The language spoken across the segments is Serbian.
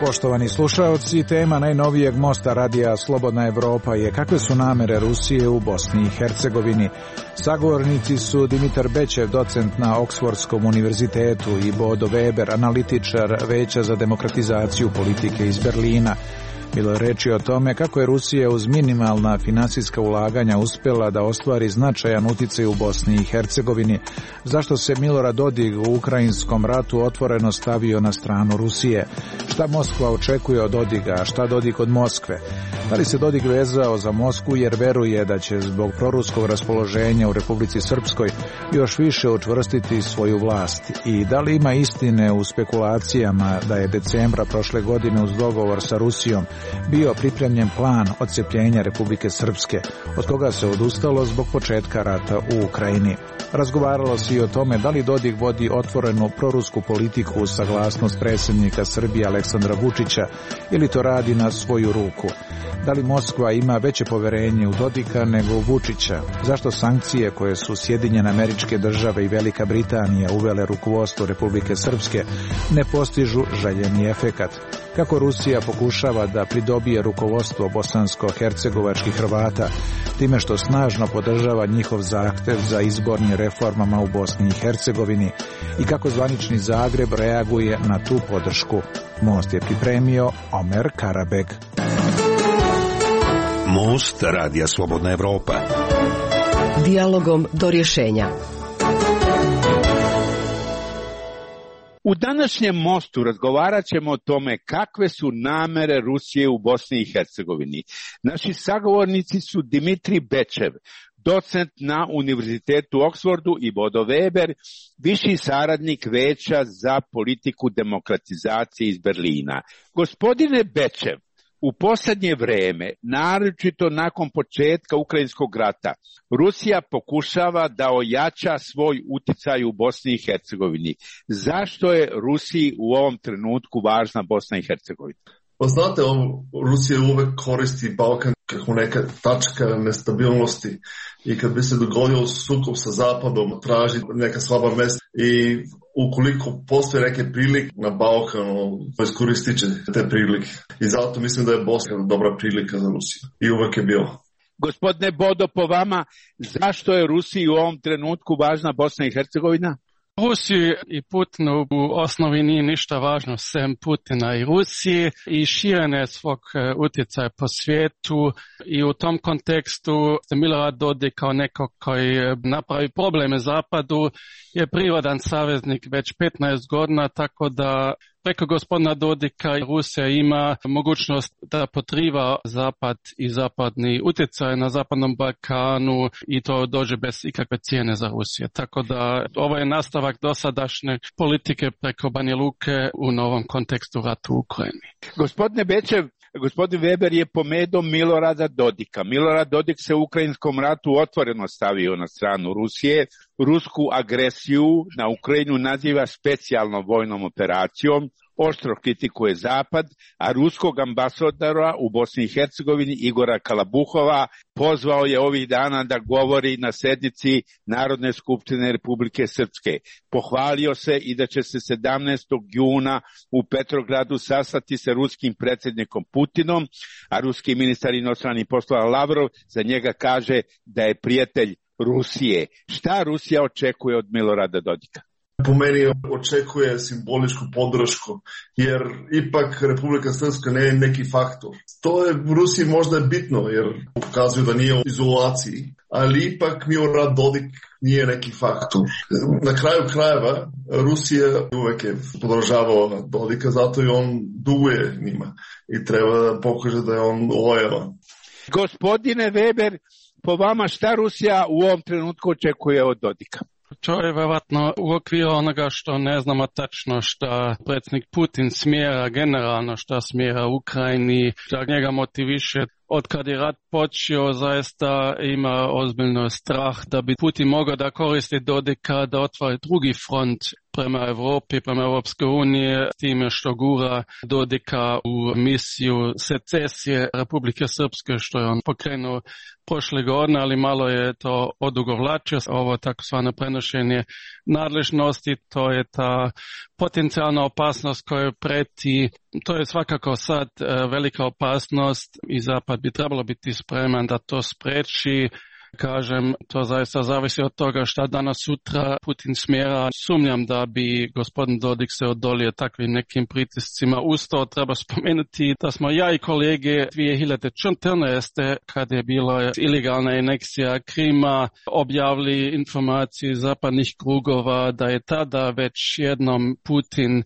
Poštovani slušaoci, tema najnovijeg mosta radija Slobodna Evropa je kakve su namere Rusije u Bosni i Hercegovini. Sagovornici su Dimitar Bečev, docent na Oksfordskom univerzitetu, i Bodo Weber, analitičar Veća za demokratizaciju politike iz Berlina. Bilo je reči o tome kako je Rusija uz minimalna finansijska ulaganja uspjela da ostvari značajan uticaj u Bosni i Hercegovini, zašto se Milorad Dodik u ukrajinskom ratu otvoreno stavio na stranu Rusije, šta Moskva očekuje od Dodika, a šta Dodik od Moskve. Da li se Dodik vezao za Moskvu jer veruje da će zbog proruskog raspoloženja u Republici Srpskoj još više učvrstiti svoju vlast, i da li ima istine u spekulacijama da je decembra prošle godine uz dogovor sa Rusijom bio pripremljen plan odcepljenja Republike Srpske, od koga se odustalo zbog početka rata u Ukrajini. Razgovaralo se i o tome da li Dodik vodi otvorenu prorusku politiku uz saglasnost predsjednika Srbije Aleksandra Vučića ili to radi na svoju ruku. Da li Moskva ima veće poverenje u Dodika nego u Vučića? Zašto sankcije koje su Sjedinjene Američke Države i Velika Britanija uvele rukovodstvo Republike Srpske ne postižu željeni efekat? Kako Rusija pokušava da pridobije rukovodstvo bosansko-hercegovačkih Hrvata time što snažno podržava njihov zahtev za izbornim reformama u Bosni i Hercegovini, i kako zvanični Zagreb reaguje na tu podršku? Most je pripremio Omer Karabeg. Most radija Slobodna Evropa. Dijalogom do rješenja. U današnjem mostu razgovarat ćemo o tome kakve su namere Rusije u Bosni i Hercegovini. Naši sagovornici su Dimitrij Bečev, docent na Univerzitetu u Oksfordu, i Bodo Weber, viši saradnik Veća za politiku demokratizacije iz Berlina. Gospodine Bečev, u posljednje vrijeme, naročito nakon početka Ukrajinskog rata, Rusija pokušava da ojača svoj utjecaj u Bosni i Hercegovini. Zašto je Rusiji u ovom trenutku važna Bosna i Hercegovina? Pa znate, Rusija uvek koristi Balkan kako neka tačka nestabilnosti, i kad bi se dogodio sukob sa Zapadom, traži neka slaba mesta, i ukoliko postoje neke prilike na Balkanu, iskoristit će te prilike. I zato mislim da je Bosna dobra prilika za Rusiju. I uvek je bilo. Gospodine Bodo, po vama, zašto je Rusiji u ovom trenutku važna Bosna i Hercegovina? Rusiji i Putinu u osnovi nije ništa važno sem Putina i Rusiji i širenje svog utjecaja po svijetu, i u tom kontekstu Milorad Dodik kao neko koji napravi probleme Zapadu je prirodan saveznik već 15 godina, tako da preko gospodina Dodika Rusija ima mogućnost da potriva Zapad i zapadni utjecaj na Zapadnom Balkanu, i to dođe bez ikakve cijene za Rusiju. Tako da ovo je nastavak dosadašnje politike preko Banja Luke u novom kontekstu rata u Ukrajini. Gospodine Bečev, gospodin Weber je pomenuo Milorada Dodika. Milorad Dodik se u ukrajinskom ratu otvoreno stavio na stranu Rusije. Rusku agresiju na Ukrajinu naziva specijalnom vojnom operacijom, oštro kritikuje Zapad, a ruskog ambasadora u Bosni i Hercegovini Igora Kalabuhova pozvao je ovih dana da govori na sjednici Narodne skupštine Republike Srpske. Pohvalio se i da će se 17. juna u Petrogradu sastati sa ruskim predsjednikom Putinom, a ruski ministar inostranih poslova Lavrov za njega kaže da je prijatelj Rusije. Šta Rusija očekuje od Milorada Dodika? Po meni očekuje simboličku podršku, jer ipak Republika Srpska ne je neki faktor. To je u Rusiji možda bitno, jer pokazuju da nije u izolaciji, ali ipak Milorad Dodik nije neki faktor. Na kraju krajeva Rusija uvek je podržavao Dodika, zato i on duguje njima i treba da pokaže da je on lojalan. Gospodine Weber, po vama šta Rusija u ovom trenutku očekuje od Dodika? To je vjerojatno u okviru onoga što ne znamo tačno šta predsjednik Putin smjera generalno, šta smjera Ukrajini, šta njega motiviše. Od kad je rat počeo, zaista ima ozbiljno strah da bi Putin mogao da koristi Dodika da otvori drugi front prema Evropi, prema Europskoj uniji, time što gura Dodika u misiju secesije Republike Srpske, što je on pokrenuo prošle godine, ali malo je to odugovlačio. Ovo takozvano prenošenje nadležnosti, to je ta potencijalna opasnost koja preti. To je svakako sad velika opasnost i Zapad bi trebalo biti spreman da to spreči. Kažem, to zaista zavisi od toga šta danas sutra Putin smjera. Sumnjam da bi gospodin Dodik se odolio takvim nekim pritiscima. Uz to treba spomenuti da smo ja i kolege 2014. kad je bila ilegalna aneksija Krima objavili informaciju zapadnih krugova da je tada već jednom Putin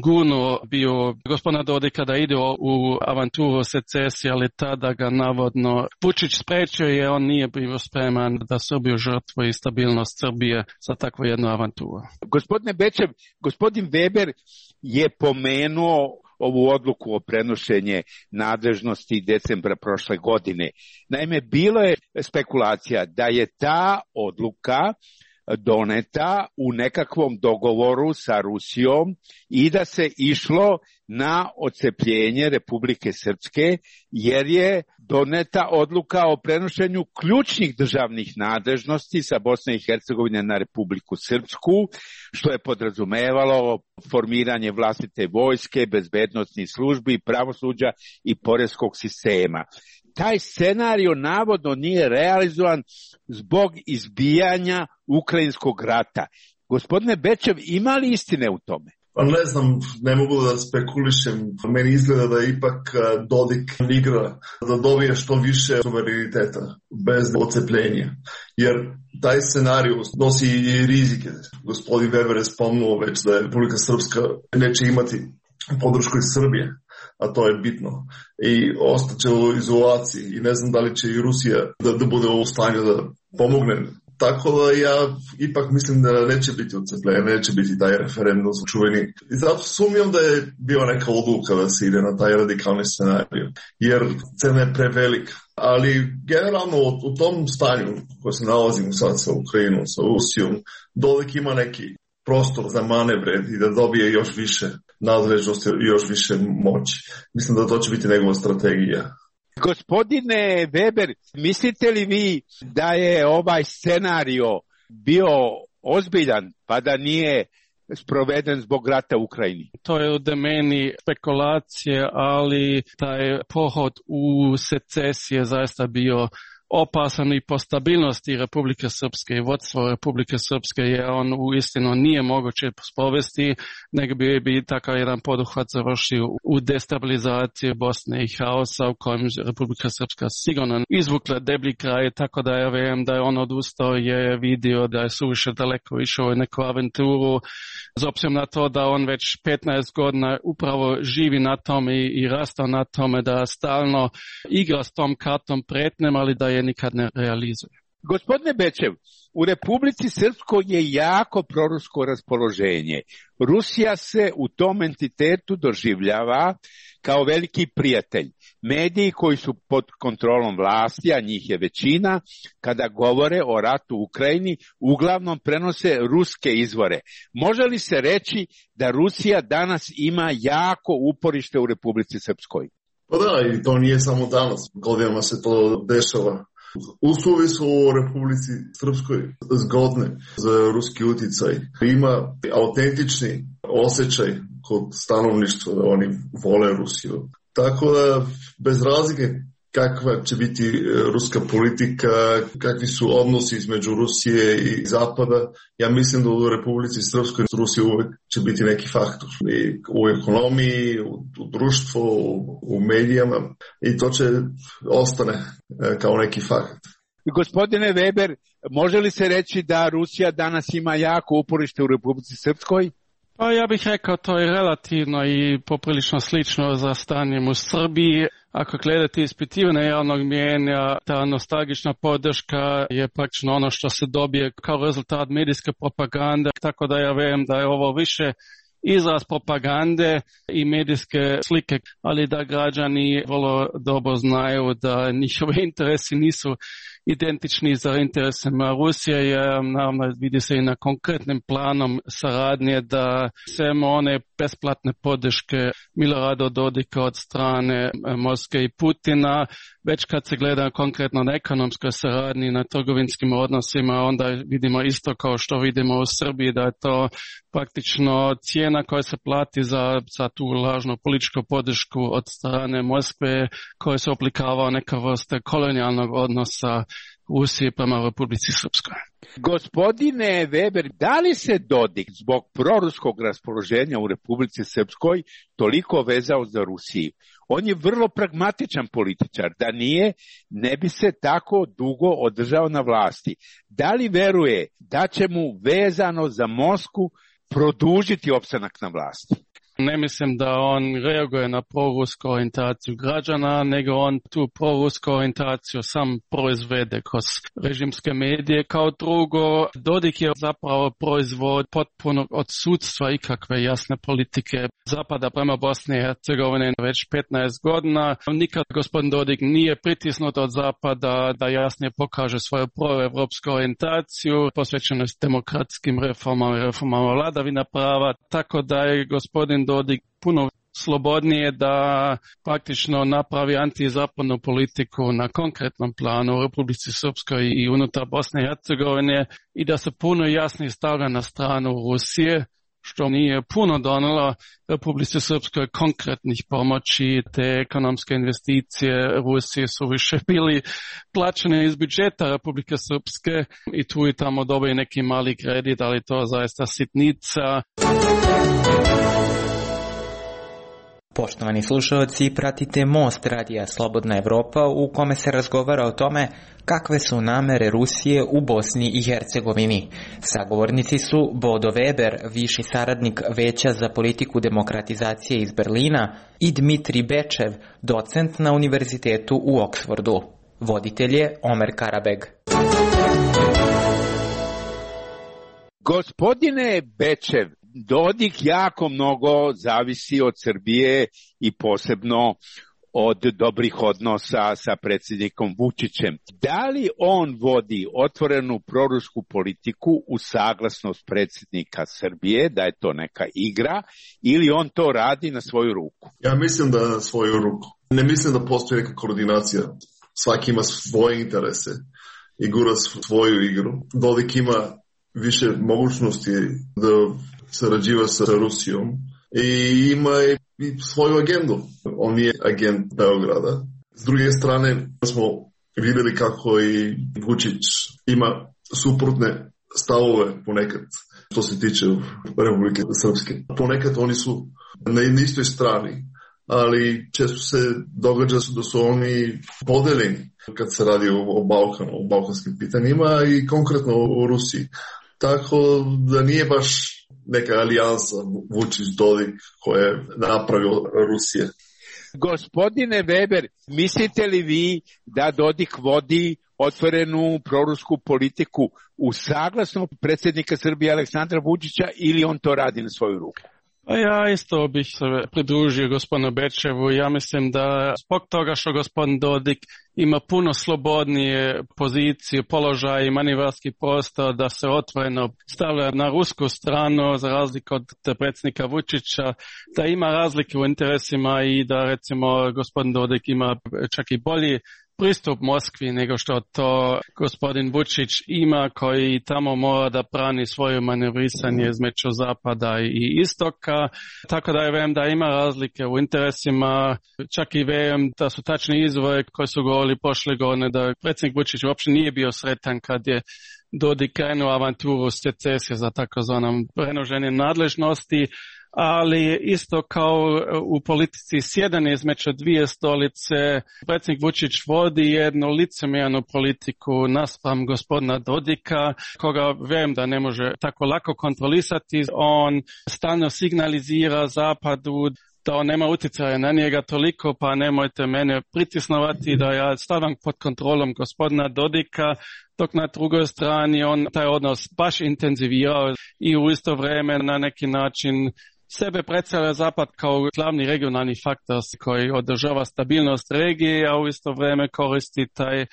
gurnuo bio gospodina Dodika da ide u avanturu secesije, ali tada ga navodno Vučić sprečio jer on nije bio spreman da Srbiju žrtvuje i stabilnost Srbije za takvu jednu avanturu. Gospodine Bečev, gospodin Weber je pomenuo ovu odluku o prenošenje nadležnosti decembra prošle godine. Naime, bilo je spekulacija da je ta odluka doneta u nekakvom dogovoru sa Rusijom i da se išlo na odcepljenje Republike Srpske, jer je doneta odluka o prenošenju ključnih državnih nadležnosti sa Bosne i Hercegovine na Republiku Srpsku, što je podrazumevalo formiranje vlastite vojske, bezbednosnih službi, pravosuđa i poreskog sistema. Taj scenario navodno nije realizovan zbog izbijanja Ukrajinskog rata. Gospodine Bečev, ima li istine u tome? Pa ne znam, ne mogu da spekulišem. Meni izgleda da ipak Dodik igra da dobije što više suvereniteta bez odcepljenja. Jer taj scenarij nosi i rizike. Gospodin Weber je spomenuo već da je Republika Srpska neće imati podršku iz Srbije, a to je bitno. I ostaće u izolaciji i ne znam da li će i Rusija da bude u stanju da pomogne. Tako da ja ipak mislim da neće biti odcepljenje, neće biti taj referendum čuveni. I zato sumnjam da je bio neka odluka da se ide na taj radikalni scenarij, jer cena je prevelika. Ali generalno u tom stanju koje se nalazimo sad sa Ukrajinom, sa Rusijom, Dodik ima neki prostor za manevre i da dobije još više nadležnosti i još više moći. Mislim da to će biti njegova strategija. Gospodine Weber, mislite li vi da je ovaj scenario bio ozbiljan pa da nije sproveden zbog rata u Ukrajini? To je u domeni spekulacije, ali taj pohod u secesije zaista bio opasan i po stabilnosti Republike Srpske i vodstvo Republike Srpske, jer on uistinu nije moguće sprovesti, nego bi takav jedan poduhvat završio u destabilizaciji Bosne i haosa u kojem Republika Srpska sigurno izvukla deblji kraj, tako da ja vjerujem da je on odustao, je vidio da je suviše daleko išao u neku avanturu, s obzirom na to da on već 15 godina upravo živi na tome i rastao na tome da stalno igra s tom kartom pretnjem, ali da je nikad ne realizuje. Gospodine Bečev, u Republici Srpskoj je jako prorusko raspoloženje. Rusija se u tom entitetu doživljava kao veliki prijatelj. Mediji koji su pod kontrolom vlasti, a njih je većina, kada govore o ratu u Ukrajini, uglavnom prenose ruske izvore. Može li se reći da Rusija danas ima jako uporište u Republici Srpskoj? Pa da, i to nije samo danas. Godinama se to dešava. Uslovi su u Republici Srpskoj zgodne za ruski utjecaj. Ima autentični osjećaj kod stanovništva da oni vole Rusiju. Tako da bez razlike kakva će biti ruska politika, kakvi su odnosi između Rusije i Zapada, ja mislim da u Republici Srpskoj Rusija uvek će biti neki faktor. I u ekonomiji, u društvu, u medijama i to će ostane kao neki fakt. Gospodine Weber, može li se reći da Rusija danas ima jako uporište u Republici Srpskoj? Pa ja bih rekao to je relativno i poprilično slično za stanjem u Srbiji. Ako gledate ispitivanje javnog mijenja, ta nostalgična podrška je praktično ono što se dobije kao rezultat medijske propagande, tako da ja vjerujem da je ovo više izraz propagande i medijske slike, ali da građani vrlo dobro znaju da njihove interesi nisu identični za interesima Rusije, jer naravno vidi se i na konkretnim planom saradnje da sve one besplatne podrške Milorada Dodika od strane Moskve i Putina, već kad se gleda konkretno na ekonomskoj saradnji, na trgovinskim odnosima, onda vidimo isto kao što vidimo u Srbiji, da je to praktično cijena koja se plati za tu lažnu političku podršku od strane Moskve, koja se oblikava neka vrsta kolonijalnog odnosa Rusije prema Republici Srpskoj. Gospodine Weber, da li se Dodik zbog proruskog raspoloženja u Republici Srpskoj toliko vezao za Rusiju? On je vrlo pragmatičan političar, da nije, ne bi se tako dugo održao na vlasti. Da li veruje da će mu vezano za Moskvu produžiti opstanak na vlasti? Ne mislim da on reaguje na prorusku orijentaciju građana, nego on tu prorusku orijentaciju sam proizvede kroz režimske medije. Kao drugo, Dodik je zapravo proizvod potpunog odsudstva ikakve jasne politike Zapada prema Bosni i Hercegovini već 15 godina. Nikad gospodin Dodik nije pritisnut od Zapada da jasnije pokaže svoju proevropsku orijentaciju, posvećenost demokratskim reformama i reformama vladavina prava, tako da je gospodin Dodik puno slobodnije da praktično napravi antizapadnu politiku na konkretnom planu u Republici Srpskoj i unutar Bosne i Hercegovine i da se puno jasnije stavlja na stranu Rusije, što nije puno donelo Republici Srpskoj konkretnih pomoći. Te ekonomske investicije Rusije su više bili plaćene iz budžeta Republike Srpske i tu i tamo dobije neki mali kredit, ali to zaista sitnica. Poštovani slušalci, pratite Most radija Slobodna Evropa u kome se razgovara o tome kakve su namere Rusije u Bosni i Hercegovini. Sagovornici su Bodo Weber, viši saradnik Veća za politiku demokratizacije iz Berlina, i Dmitri Bečev, docent na univerzitetu u Oksfordu. Voditelj je Omer Karabeg. Gospodine Bečev, Dodik jako mnogo zavisi od Srbije i posebno od dobrih odnosa sa predsjednikom Vučićem. Da li on vodi otvorenu prorusku politiku u saglasnost predsjednika Srbije, da je to neka igra, ili on to radi na svoju ruku? Ja mislim da na svoju ruku. Ne mislim da postoji neka koordinacija. Svaki ima svoje interese i gura svoju igru. Dodik ima više mogućnosti da sarađiva sa Rusijom i ima i svoju agendu. On je agent Beograda. S druge strane smo vidjeli kako i Vučić ima suprotne stavove ponekad što se tiče Republike Srpske. Ponekad oni su na istoj strani, ali često se događa da su oni podeljeni kad se radi o Balkanu, o balkanskim pitanjima i konkretno o Rusiji. Tako da nije baš neka alijansa Vučić-Dodik koja je napravio Rusije. Gospodine Weber, mislite li vi da Dodik vodi otvorenu prorusku politiku u saglasnost predsjednika Srbije Aleksandra Vučića ili on to radi na svoju ruku? Ja isto bih se pridružio gospodinu Bečevu. Ja mislim da zbog toga što gospodin Dodik ima puno slobodnije pozicije, položaj i manevarski prostor da se otvoreno stavlja na rusku stranu za razliku od predsjednika Vučića, da ima razlike u interesima i da recimo gospodin Dodik ima čak i bolji pristup Moskvi nego što to gospodin Vučić ima, koji tamo mora da brani svoje manevrisanje između zapada i istoka. Tako da vem da ima razlike u interesima, čak i vem da su tačni izvori koji su govorili prošle godine da predsjednik Vučić uopće nije bio sretan kad je Dodik krenuo avanturu secesije za takozvanom prenoženje nadležnosti, ali isto kao u politici sjedanje između dvije stolice, predsjednik Vučić vodi jednu licemjernu politiku naspram gospodina Dodika, koga vjerujem da ne može tako lako kontrolisati. On stalno signalizira Zapadu da on nema utjecaja na njega toliko, pa nemojte mene pritisnovati da ja stavim pod kontrolom gospodina Dodika, dok na drugoj strani on taj odnos baš intenzivirao i u isto vrijeme na neki način sebe predstavlja Zapad kao glavni regionalni faktor koji održava stabilnost regije, a u isto vrijeme koristi taj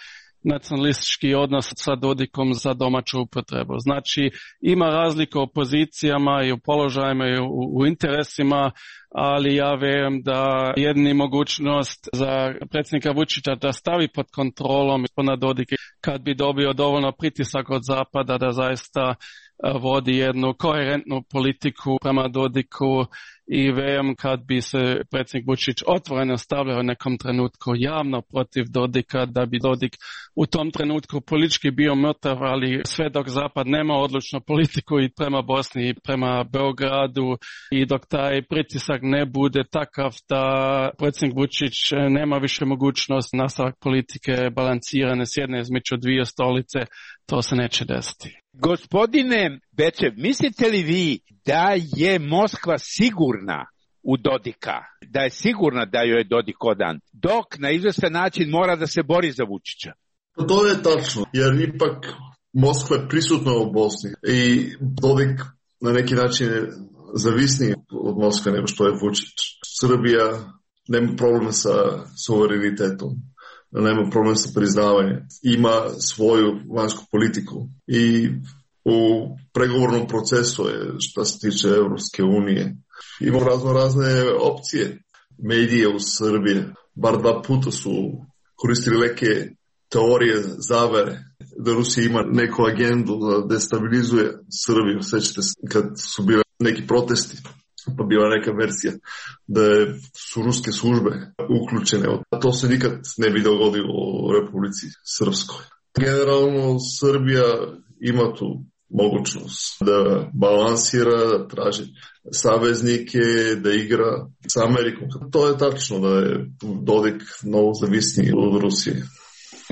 nacionalistički odnos sa Dodikom za domaću upotrebu. Znači, ima razlika u pozicijama i u položajima i u interesima, ali ja vjerujem da jedini mogućnost za predsjednika Vučića da stavi pod kontrolom gospodina Dodika kad bi dobio dovoljno pritisak od Zapada da zaista vodi jednu koherentnu politiku prema Dodiku i vjerujem kad bi se predsjednik Vučić otvoreno stavljao u nekom trenutku javno protiv Dodika, da bi Dodik u tom trenutku politički bio mrtav, ali sve dok Zapad nema odlučnu politiku i prema Bosni i prema Beogradu i dok taj pritisak ne bude takav da predsjednik Vučić nema više mogućnost nastavak politike balansirane s jedne između dvije stolice, to se neće desiti. Gospodine Bečev, mislite li vi da je Moskva sigurna u Dodika, da je sigurna da joj je Dodik odan, dok na izvestan način mora da se bori za Vučića? To je tačno, jer ipak Moskva je prisutna u Bosni i Dodik na neki način je zavisniji od Moskve nego što je Vučić. Srbija nema problema sa suverenitetom, nema problem sa priznavanjem, ima svoju vanjsku politiku i u pregovornom procesu je što se tiče Evropske unije. Ima razne opcije. Medije u Srbiji bar 2 puta su koristili neke teorije zavere da Rusija ima neku agendu da destabilizuje Srbiju. Sjećate se kad su bile neki protesti, pa bila neka verzija da su ruske službe uključene. To se nikad ne bi dogodilo u Republici Srpskoj. Generalno Srbija ima tu mogućnost da balansira, da traži saveznike, da igra s Amerikom. To je tačno da je Dodik mnogo zavisniji od Rusije.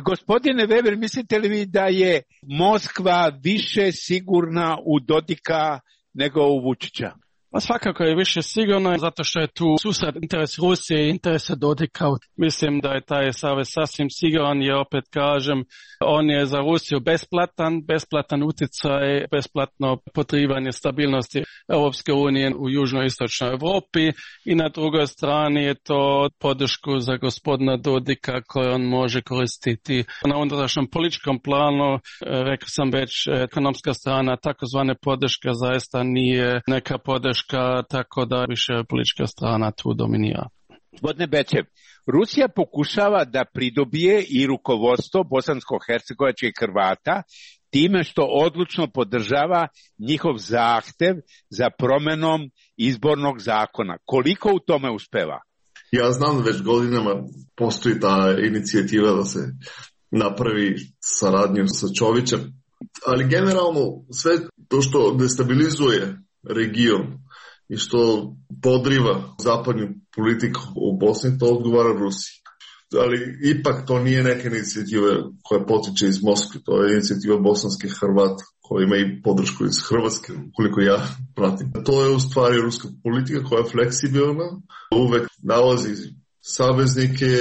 Gospodine Weber, mislite li vi da je Moskva više sigurna u Dodika nego u Vučića? Pa svakako je više sigurno, zato što je tu susret interes Rusije i interesa Dodika. Mislim da je taj savez sasvim siguran, jer opet kažem, on je za Rusiju besplatan utjecaj, besplatno potrivanje stabilnosti Europske unije u južnoistočnoj Europi i na drugoj strani je to podršku za gospodina Dodika koju on može koristiti na unutrašnjem političkom planu. Rekao sam već, ekonomska strana takozvane podrške zaista nije neka podrška, tako da više politička strana tu dominira. Gospodine Bečev, Rusija pokušava da pridobije i rukovodstvo bosansko-hercegovačkih Hrvata time što odlučno podržava njihov zahtev za promenom izbornog zakona. Koliko u tome uspeva? Ja znam da već godinama postoji ta inicijativa da se napravi saradnju sa Čovićem, ali generalno sve to što destabilizuje region i što podriva zapadnu politiku u Bosni, to odgovara Rusiji. Ali ipak to nije neka inicijativa koja potiče iz Moskve, to je inicijativa bosanskih Hrvata koja ima i podršku iz Hrvatske, koliko ja pratim. To je u stvari ruska politika koja je fleksibilna, uvek nalazi saveznike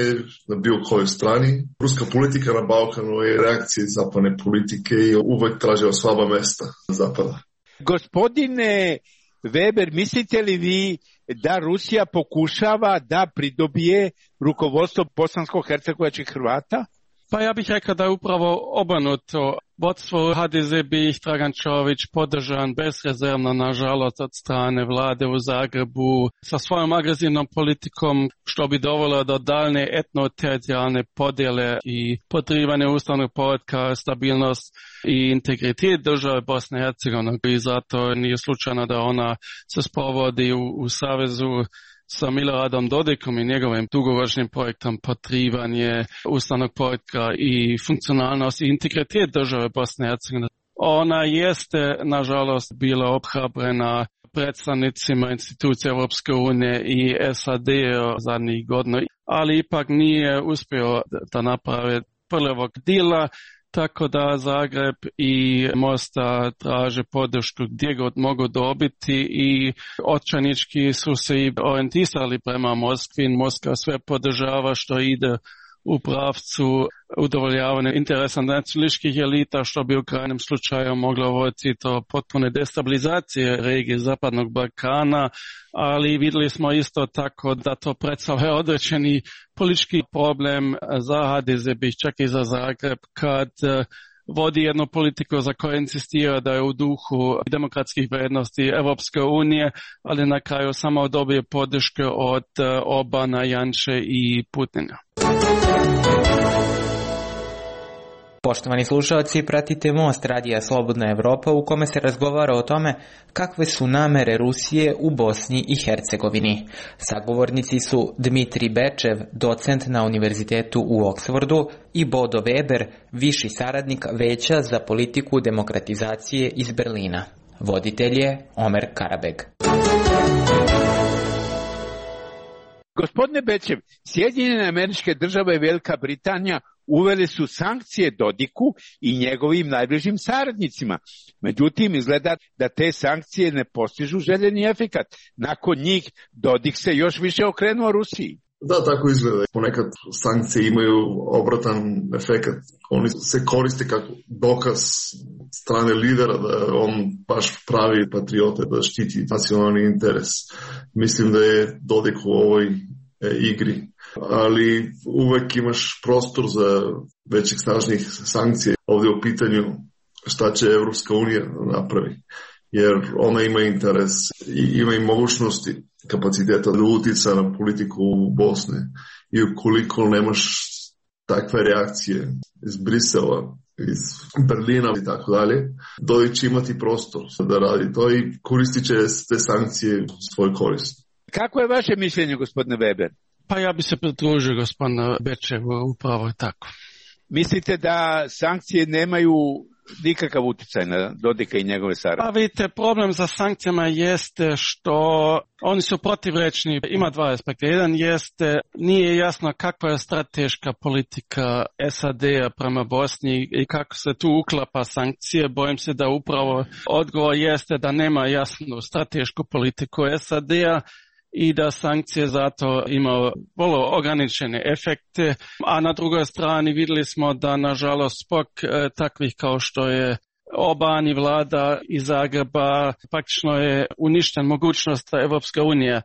na bilo kojoj strani. Ruska politika na Balkanu je reakcija zapadne politike i uvek traži slaba mesta Zapada. Gospodine Weber, mislite li vi da Rusija pokušava da pridobije rukovodstvo bosansko-hercegovačkih Hrvata? Pa ja bih rekao da je upravo obrnuto. Vodstvo HDZ bi ih Dragan Čović podržan bezrezervno, nažalost, od strane vlade u Zagrebu sa svojom agresivnom politikom, što bi dovelo do daljne etno-teritorijalne podjele i podrivanje ustavnog poretka, stabilnost i integritet države Bosne i Hercegovine. I zato nije slučajno da ona se sprovodi u savezu sa Miloradom Dodikom i njegovim dugoročnim projektom podrivanje ustavnog poretka i funkcionalnost i integritet države Bosne i Hercegovine. Ona jeste, nažalost, bila obhrabrena predstavnicima institucija Europske unije i SAD zadnjih godina, ali ipak nije uspio da napravi prvog dila, tako da Zagreb i Mostar traže podršku gdje god mogu dobiti i očajnički su se i orijentisali prema Moskvi. Moskva sve podržava što ide u pravcu udovoljavanja interesa nacionalističkih elita, što bi u krajnjem slučaju moglo voditi do potpune destabilizacije regije Zapadnog Balkana, ali vidjeli smo isto tako da to predstavlja određeni politički problem za HDZ, čak i za Zagreb, kad vodi jednu politiku za koju insistira da je u duhu demokratskih vrijednosti Evropske unije, ali na kraju samo dobije podršku od Orbana, Janše i Putina. Poštovani slušalci, pratite Most Radija Slobodna Evropa u kome se razgovara o tome kakve su namere Rusije u Bosni i Hercegovini. Sagovornici su Dmitri Bečev, docent na Univerzitetu u Oksfordu, i Bodo Weber, viši saradnik Veća za politiku demokratizacije iz Berlina. Voditelj je Omer Karabeg. Gospodine Bečev, Sjedinjene Američke Države i Velika Britanija uveli su sankcije Dodiku i njegovim najbližim saradnicima. Međutim, izgleda da te sankcije ne postižu željeni efekat. Nakon njih Dodik se još više okrenuo Rusiji. Da, tako izgleda. Ponekad sankcije imaju obratan efekat. Oni se koriste kao dokaz strane lidera da on baš pravi patriote, da štiti nacionalni interes. Mislim da je Dodik u ovoj igri. Ali uvek imaš prostor za većih snažnih sankcija. Ovdje u pitanju šta će Evropska unija napravi. Jer ona ima interes i ima i mogućnosti, kapaciteta da utica na politiku u Bosne. I ukoliko nemaš takve reakcije iz Brisela, iz Berlina i tako dalje, Dodik će imati prostor da radi to i koristit će te sankcije u svoj korist. Kako je vaše mišljenje, gospodine Weber? Pa ja bi se pridružio gospodinu Bečevu, upravo je tako. Mislite da sankcije nemaju nikakav utjecaj na Dodika i njegove saradnike? Pa vidite, problem za sankcijama jeste što oni su protivrečni. Ima dva aspekta. Jedan jeste, nije jasno kakva je strateška politika SAD-a prema Bosni i kako se tu uklapa sankcije. Bojim se da upravo odgovor jeste da nema jasnu stratešku politiku SAD-a i da sankcije zato imaju vrlo ograničene efekte, a na drugoj strani vidjeli smo da nažalost zbog takvih kao što je Orban i vlada iz Zagreba praktično je uništen mogućnost da Evropska unija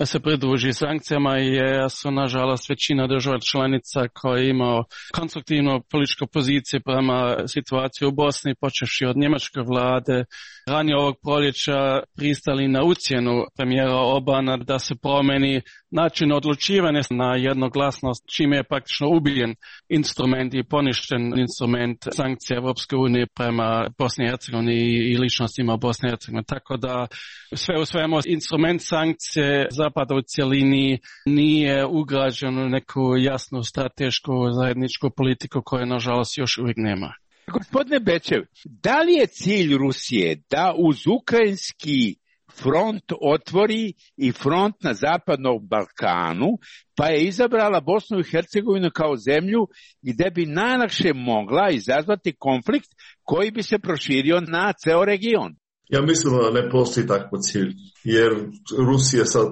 se pridruži sankcijama i su nažalost većina država članica koja imao konstruktivnu političku poziciju prema situaciji u Bosni, počevši od njemačke vlade, ranije ovog proljeća pristali na ucjenu premijera Orbana da se promeni način odlučivanja na jednoglasnost, čime je praktično ubijen instrument i poništen instrument sankcija Evropske unije prema Bosni i Hercegovini i ličnostima Bosne i Hercegovine. Tako da sve u svemu instrument sankcije Zapada u cjelini nije ugrađen u neku jasnu stratešku zajedničku politiku koje nažalost još uvijek nema. Gospodine Bečev, da li je cilj Rusije da uz ukrajinski front otvori i front na Zapadnom Balkanu, pa je izabrala Bosnu i Hercegovinu kao zemlju gdje bi najlakše mogla izazvati konflikt koji bi se proširio na ceo region? Ja mislim da ne postoji takav cilj, jer Rusija sad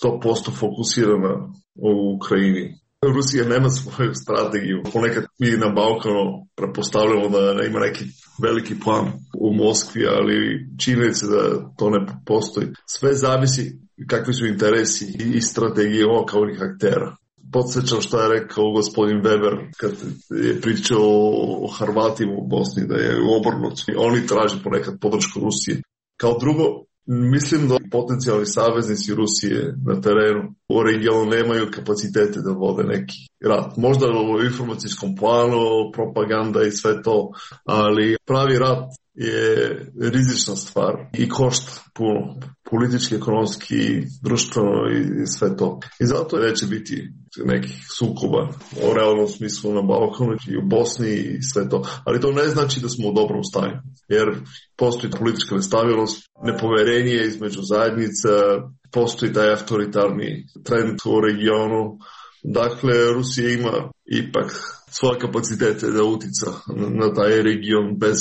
100% fokusirana u Ukrajini. Rusija nema svoju strategiju. Ponekad mi na Balkanu prepostavljamo da ima neki veliki plan u Moskvi, ali činjenica da to ne postoji. Sve zavisi kakvi su interesi i strategije lokalnih aktera. Podsjećam što je rekao gospodin Weber kad je pričao o Hrvatima u Bosni, da je obrnuto. Oni traže ponekad podršku Rusije. Kao drugo, mislim da potencijalni saveznici Rusije na terenu u regionu nemaju kapacitete da vode neki rat. Možda u informacijskom planu, propaganda i sve to, ali pravi rat je rizična stvar i košta puno, politički, ekonomski, društveno i sve to. I zato neće biti nekih sukoba o realnom smislu na Balkanu i u Bosni i sve to. Ali to ne znači da smo u dobrom stanju, jer postoji politička nestabilnost, nepoverenje između zajednica, postoji taj autoritarni trend u regionu. Dakle, Rusija ima ipak svoje kapacitete da utica na taj region bez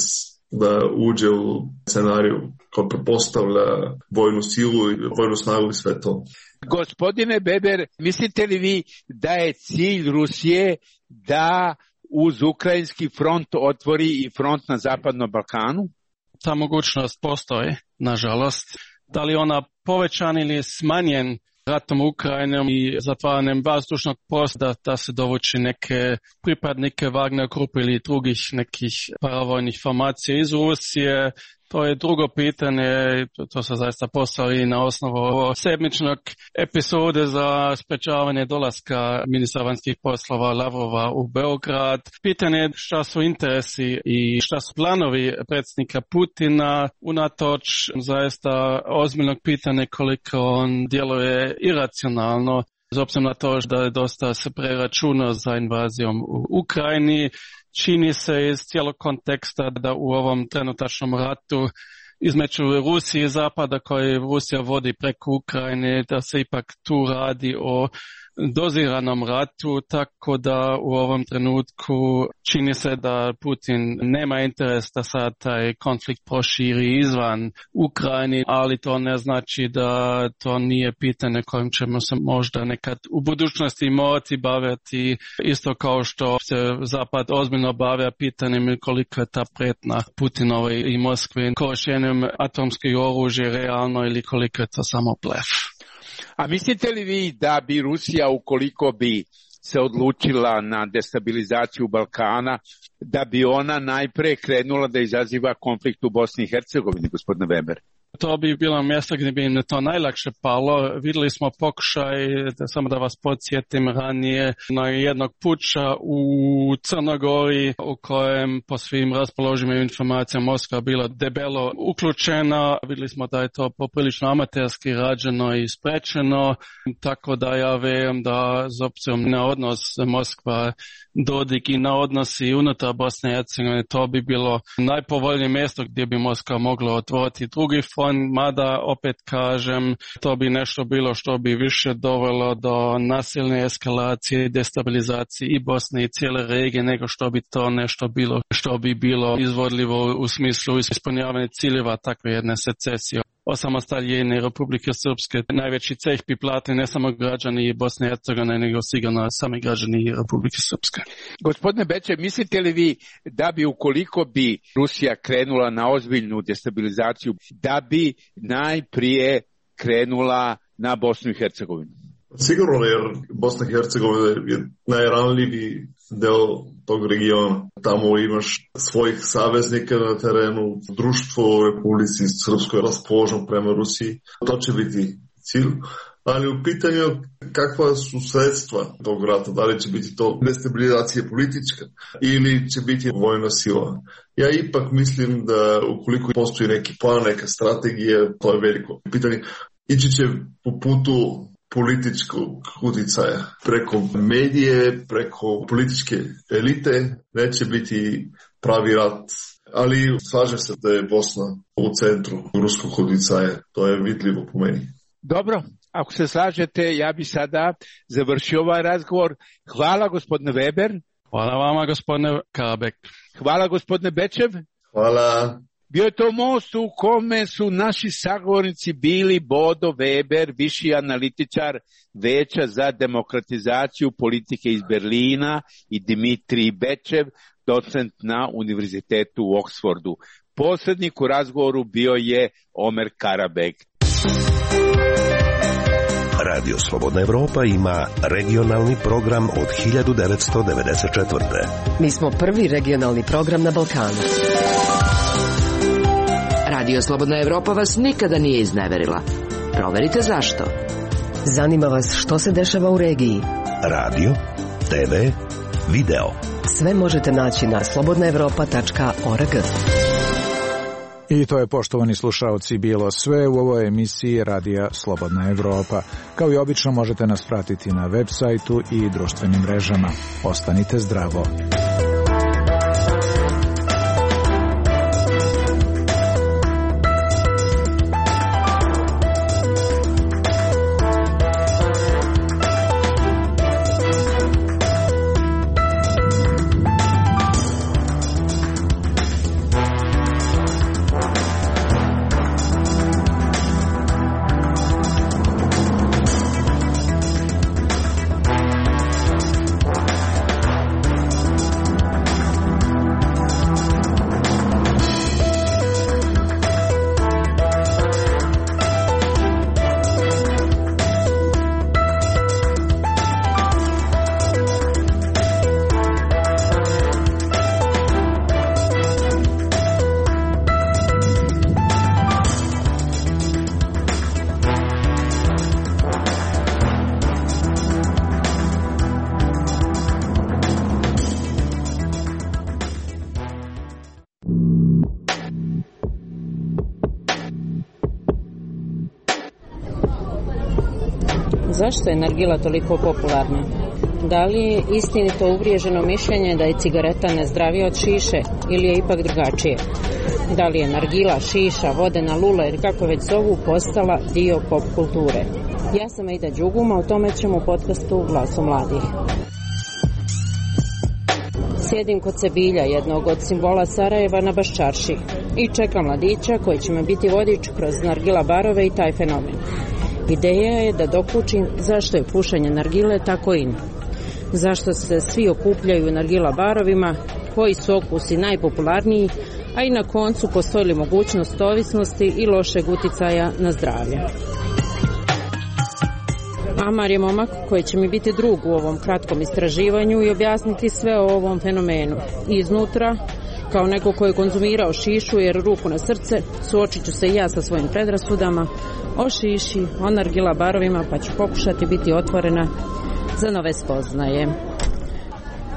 da uđe u scenariju koji pretpostavlja vojnu silu i vojnu snagu i sve to. Gospodine Weber, mislite li vi da je cilj Rusije da uz ukrajinski front otvori i front na Zapadnom Balkanu? Ta mogućnost postoji, nažalost. Da li ona povećan ili smanjen ratom Ukrajinom i zatvaranjem vazdušnog prostora da se dovuči neke pripadnike Wagner grupe ili drugih nekih paravojnih formacija iz Rusije, to je drugo pitanje, to se zaista postavi na osnovu sedmičnog epizode za sprečavanje dolaska ministra vanjskih poslova Lavrova u Beograd. Pitanje je šta su interesi i šta su planovi predsjednika Putina, unatoč zaista ozbiljnog pitanja koliko on djeluje iracionalno, s obzirom na to da je dosta se preračunao za invazijom u Ukrajini. Čini se iz cijelog konteksta da u ovom trenutačnom ratu između Rusije i Zapada koji Rusija vodi preko Ukrajine, da se ipak tu radi o doziranom ratu, tako da u ovom trenutku čini se da Putin nema interes da sad taj konflikt proširi izvan Ukrajine, ali to ne znači da to nije pitanje kojim ćemo se možda nekad u budućnosti morati baviti, isto kao što se Zapad ozbiljno bavlja pitanjem koliko je ta prijetnja Putinovoj i Moskvi korištenjem atomskih oružja realno ili koliko je to samo blef. A mislite li vi da bi Rusija, ukoliko bi se odlučila na destabilizaciju Balkana, da bi ona najpre krenula da izaziva konflikt u Bosni i Hercegovini, gospodine Weber? To bi bilo mjesto gdje bi im to najlakše palo. Vidjeli smo pokušaj, samo da vas podsjetim ranije, na jednog puča u Crnogori u kojem po svim raspoloživim informacijama Moskva bila debelo uključena. Vidjeli smo da je to poprilično amaterski rađeno i sprečeno, tako da ja vjerujem da s obzirom na odnos Moskva Dodik i na odnosi unutar Bosne i Hercegovine, to bi bilo najpovoljnije mjesto gdje bi Moskva mogla otvoriti drugi front, mada opet kažem, to bi nešto bilo što bi više dovelo do nasilne eskalacije i destabilizacije i Bosne i cijele regije nego što bi to nešto bilo što bi bilo izvodljivo u smislu ispunjavanja ciljeva takve jedne secesije. Osamostaljenje Republike Srpske najveći ceh bi platili ne samo građani Bosne i Hercegovine, nego sigurno sami građani Republike Srpske. Gospodine Beče, mislite li vi da bi ukoliko bi Rusija krenula na ozbiljnu destabilizaciju, da bi najprije krenula na Bosnu i Hercegovinu? Sigurno, jer Bosna i Hercegovina je najranljiviji deo tog regiona. Tamo imaš svojih saveznika na terenu, društvo u Republici Srpskoj raspoloženo prema Rusiji. To će biti cilj. Ali u pitanju kakva su sredstva tog rata, da li će biti to destabilizacija politička ili će biti vojna sila. Ja ipak mislim da ukoliko postoji neki plan, neka strategija, to je veliko pitanje. Ići će po putu političkog utjecaja preko medije, preko političke elite, neće biti pravi rat. Ali slažem se da je Bosna u centru ruskog utjecaja, to je vidljivo po meni. Dobro, ako se slažete, ja bi sada završio ovaj razgovor. Hvala gospodine Weber. Hvala vama gospodine Kabek. Hvala gospodine Bečev. Hvala. Bio je to most u kome su naši sagovornici bili Bodo Weber, viši analitičar Veća za demokratizaciju politike iz Berlina, i Dimitrij Bečev, docent na Univerzitetu u Oksfordu. Posrednik u razgovoru bio je Omer Karabek. Radio Slobodna Evropa ima regionalni program od 1994. Mi smo prvi regionalni program na Balkanu. Radio Slobodna Evropa vas nikada nije izneverila. Proverite zašto. Zanima vas što se dešava u regiji. Radio, TV, video. Sve možete naći na slobodnaevropa.org. I to je, poštovani slušaoci, bilo sve u ovoj emisiji Radija Slobodna Evropa. Kao i obično možete nas pratiti na web sajtu i društvenim mrežama. Ostanite zdravo. Zašto je nargila toliko popularna? Da li je istinito uvriježeno mišljenje da je cigareta nezdravija od šiše ili je ipak drugačije? Da li je nargila, šiša, vodena lula ili kako već zovu postala dio pop kulture? Ja sam Aida Đuguma, o tome ćemo u podcastu Glasu mladih. Sjedim kod Sebilja, jednog od simbola Sarajeva, na Baščarši i čekam mladića koji će me biti vodič kroz nargila barove i taj fenomen. Ideja je da dokučim zašto je pušenje nargile tako in. Zašto se svi okupljaju u nargila barovima, koji su okusi najpopularniji, a i na koncu postoji li mogućnost ovisnosti i lošeg uticaja na zdravlje. Amar je momak koji će mi biti drug u ovom kratkom istraživanju i objasniti sve o ovom fenomenu. Iznutra, kao neko koji je konzumirao šišu, jer ruku na srce, suočit ću se i ja sa svojim predrasudama o šiši, o nargila barovima, pa ću pokušati biti otvorena za nove spoznaje.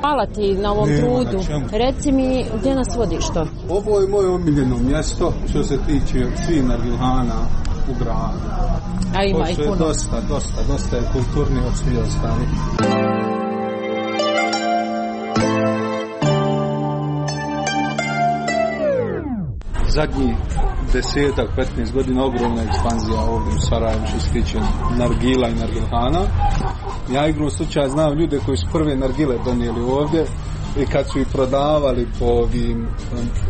Hvala ti na ovom trudu. Reci mi, gdje nas vodiš to? Ovo je moje omiljeno mjesto što se tiče svih nargilhana u gradu. A ima i puno. Dosta je kulturni od svih ostalih. Zadnjih 10-15 godina ogromna ekspanzija ovdje u Sarajevu što se tiče nargila i nargilhana. Ja igrom slučaja znam ljude koji su prve nargile donijeli ovdje i kad su ih prodavali po ovim,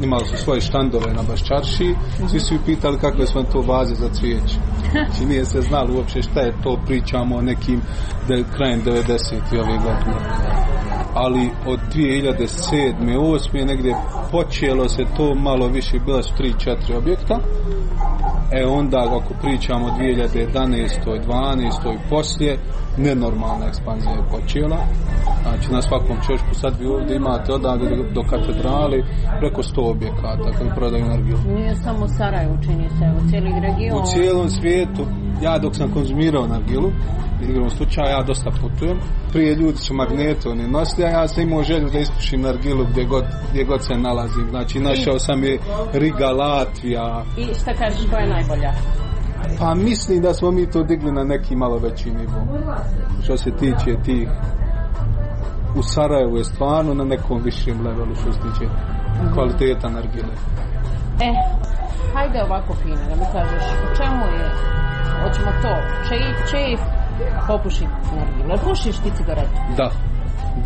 imali su svoje štandove na Baščarši, svi su ih pitali kakve su vam to vaze za cvijeće. Znači nije se znalo uopće šta je to, pričamo o nekim krajem 90. ove godine. Ali od 2007. 2008. negdje počelo se to malo više, bila su 3-4 objekta. Onda ako pričamo o 2011. 12. i poslije, nenormalna ekspanzija je počela. Znači na svakom čošku sad vi ovdje imate odavde do katedrali preko 100 objekata koji prodaju nargilu. Nije samo u Sarajevu, čini se, u cijeli region. U cijelom svijetu. Ja dok sam konzumirao nargilu, igrom slučaja, ja dosta putujem. Prije ljudi su magnete, oni nosili, a ja sam imao želju da ispušim nargilu gdje god se nalazim. Znači našao sam je Riga, Latvija. I šta kažeš, koja je najbolja? Pa mislim da smo mi to digli na neki malo veći nivo. Što se tiče tih, u Sarajevu je stvarno na nekom višem levelu što se tiče kvaliteta nargile. Hajde ovako fino, da mi kažeš, u čemu je, hoćemo to, čejf, popuši nargile, pušiš ti cigaretu?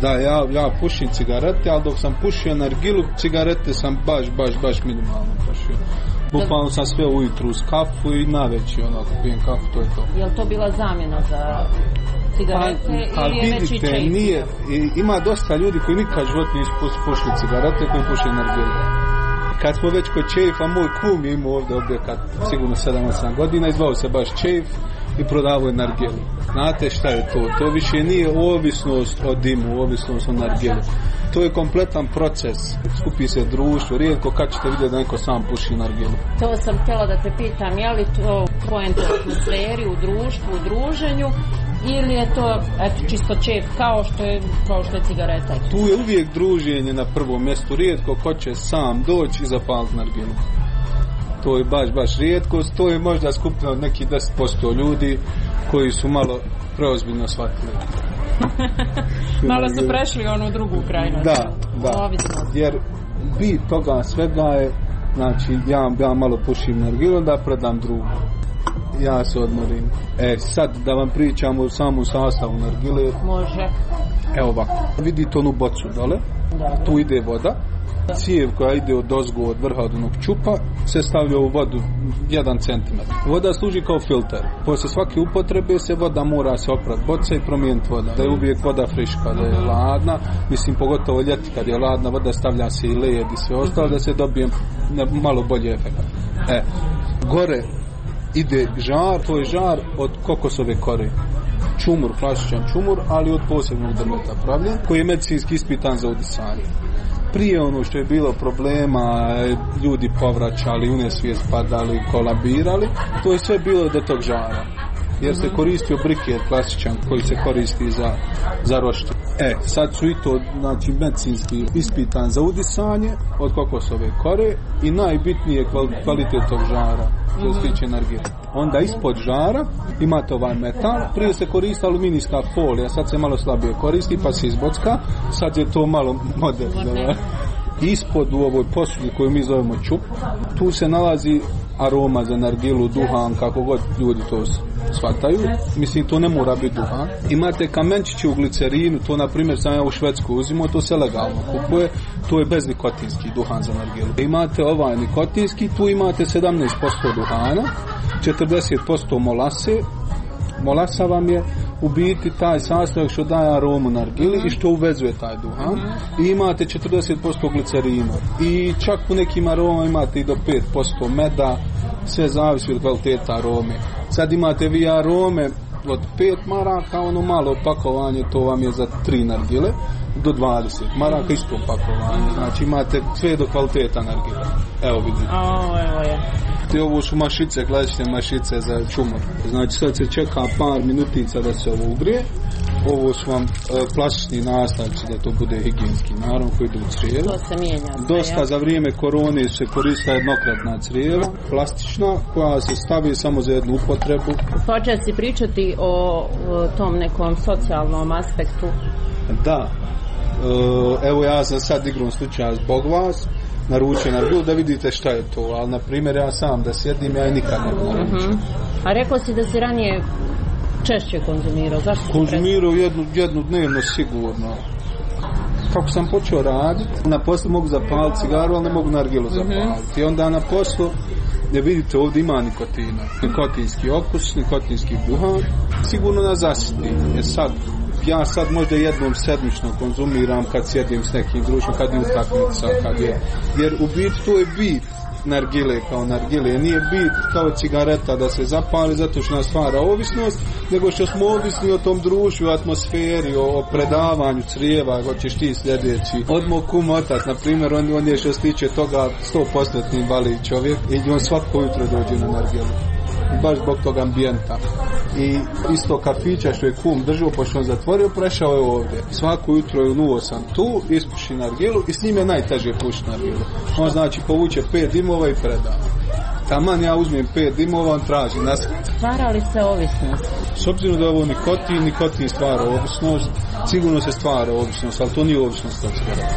Da, ja pušim cigarete, ali dok sam pušio nargilu, cigarete sam baš minimalno pušio. Bukvalno sam sve ujutru uz kafu i naveći onako pijem kafu, to je to. Je li to bila zamjena za cigarete ili je veći čejf? Nije, ima dosta ljudi koji nikad život nisu pušili cigarete, koji puše nargilu. Kad smo već kod čejfa, moj kum je imao ovdje objekat sigurno 7-8 godina, izvao se baš čejf i prodavao je nargilu. Znate šta je to? To više nije ovisnost o dimu, ovisnost o nargilu. To je kompletan proces. Skupi se društvo, rijetko kad ćete vidjeti da neko sam puši nargilu. To sam htjela da te pitam, je li to poenta u atmosferi, u društvu, u druženju, ili je to čisto čep kao što je cigareta? Tu je uvijek druženje na prvom mjestu, rijetko ko će sam doći i zapaliti nargilu. To je baš rijetkost, to je možda skupina od nekih 10% ljudi koji su malo preozbiljno shvatili. Malo su prešli onu drugu krajnost. Da, jer bit toga svega je, znači ja malo pušim nargilu, da predam drugu. Ja se odmorim. Sad da vam pričam o samom sastavu nargile. Može. Evo ovako, vidite onu bocu dole, tu ide voda. Cijev koja ide od ozgo, od vrha, od onog čupa, se stavlja u vodu 1 cm. Voda služi kao filter. Poslije svake upotrebe se voda mora se oprati boca i promijeniti voda. Da je uvijek voda friška, da je ladna. Mislim, pogotovo ljeti kad je ladna voda, stavlja se i led i sve ostalo da se dobije malo bolji efekt. Gore ide žar, to je žar od kokosove kore. Čumur, klasičan čumur, ali od posebnog drveta pravljen, koji je medicinski ispitan za udisanje. Prije ono što je bilo problema, ljudi povraćali, u nesvijest padali, kolabirali, to je sve bilo do tog žara. Jer se koristio briket klasičan koji se koristi za roštilj. Sad su i to, znači, medicinski ispitan za udisanje od kokosove kore i najbitnije kvalitet tog žara što se tiče energije. Onda ispod žara imate ovaj metal, prije se koristi aluminijska folija, sad se malo slabije koristi pa se izbocka, sad je to malo moderno. Ispod u ovoj posudi koju mi zovemo čup, tu se nalazi aroma za nargilu, duhan, kako god ljudi to shvataju. Mislim, to ne mora biti duhan. Imate kamenčići u glicerinu, to na primjer sam ja u Švedsku uzimao, to se legalno kupuje, to je beznikotinski duhan za nargilu. Imate ovaj nikotinski, tu imate 17% duhana, 40% molase. Molasa vam je u biti taj sastojak što daje aromu nargili i što uvezuje taj duhan. I imate 40% glicerina. I čak u nekim aromama imate i do 5% meda, sve zavisi od kvaliteta arome. Sad imate vi arome od 5 maraka, ono malo pakovanje, to vam je za 3 nargile, do 20 maraka isto pakovanje. Znači imate sve do kvaliteta nargile. Evo vidite. Evo je. Ovo su mašice, klasične mašice za čumor. Znači sad se čeka par minutica da se ovo ugrije. Ovo su vam plastični nastavci da to bude higijenski, naravno, koji idu u crijevo. To se mijenja. Dosta za vrijeme korone se koristila jednokratna crijeva, plastična, koja se stavi samo za jednu upotrebu. Počeo si pričati o tom nekom socijalnom aspektu. Da. Evo ja sam sad igrom slučaja zbog vas naručio nargilu da vidite šta je to, ali na primjer ja sam da sjedim, ja nikad ne naručim. A rekao si da si ranije češće konzumirao, zašto? Konzumirao jednu dnevno sigurno. Kako sam počeo raditi, na poslu mogu zapaliti cigaru, ali ne mogu nargilu zapaliti. I onda na poslu, ne vidite, ovdje ima nikotina, nikotinski okus, nikotinski duhan, sigurno nas zasiti. Ja sad možda jednom sedmično konzumiram kad sjedim s nekim društvom, kad je utakmica, jer u biti to je bit nargile kao nargile, nije bit kao cigareta da se zapali zato što nas stvara ovisnost, nego što smo ovisni o tom društvu, atmosferi, o predavanju crijeva, hoćeš ti sljedeći. Odmah kum otac, na primjer, on je što se tiče toga 100% invalid čovjek i on svako jutro dođe na nargilu. Baš zbog tog ambijenta. I isto kafića što je kum držao, pošto on zatvorio, prešao je ovdje. Svako jutro je unuo sam tu, ispuši nargilu i s njim je najteže pušiti nargilu. On znači povuče 5 dimova i preda. Taman ja uzmem 5 dimova, on traži nas. Stvara li se ovisnost? S obzirom da je ovo nikotin stvara ovisnost, sigurno se stvara ovisnost, ali to nije ovisnost od cigareta.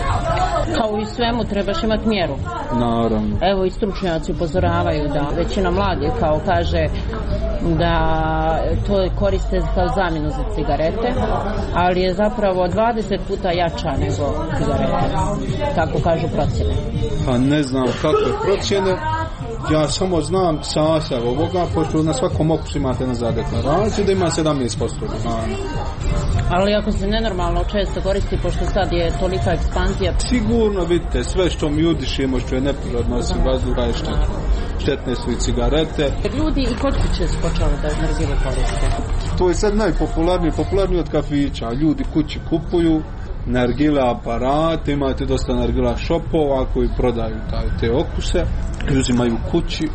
Kao i svemu trebaš imati mjeru. Naravno. Evo i stručnjaci upozoravaju da većina mladih kao kaže da to koriste kao zamjenu za cigarete, ali je zapravo 20 puta jača nego cigarete. Tako kažu procjene. Pa ne znam kakve procjene. Ja samo znam sastav ovoga, pošto na svakom okusu imate nazad deklaraciju da ima 17% duhana. Ali ako se nenormalno često koristi, pošto sad je tolika ekspanzija... Sigurno, vidite, sve što mi udišemo, što je neprirodno osim vazduha je štetno. Štetne su i cigarete. Ljudi i kod kuće su počeli da nargile koriste. To je sad najpopularniji od kafića. Ljudi kući kupuju nargile aparate, imate dosta nargila shopova koji prodaju te okuse, uzimaju kući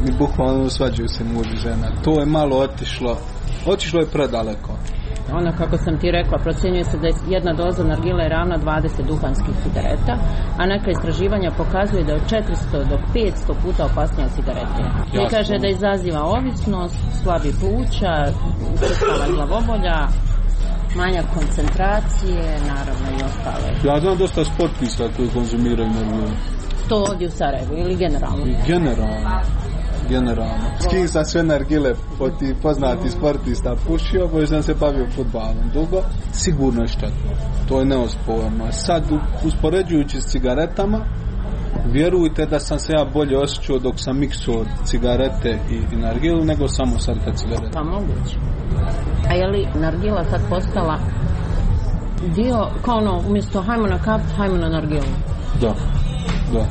i bukvalno svađaju se muž i žena. To je malo otišlo je predaleko. Ono kako sam ti rekla, procjenjuje se da je jedna doza nargile ravna 20 duhanskih cigareta, a neka istraživanja pokazuje da je od 400 do 500 puta opasnija od cigarete. I kaže da izaziva ovisnost, slabi pluća, učestala glavobolja, manjak koncentracije, naravno i ostale. Ja znam dosta sportista koji konzumiraju nargile. To ovdje u Sarajevu ili generalno? Generalno. S kim sam sve nargile poznati sportista pušio, bo sam se bavio fudbalom dugo, sigurno je štetno. To je neosporno. Sad, uspoređujući s cigaretama, vjerujte da sam se ja bolje osjećao dok sam miksuo cigarete i nargilu, nego samo sad kad cigarete. Pa moguće. A je li nargila sad postala dio, kao ono, umjesto hajmo na kap, hajmo na nargilu? Da.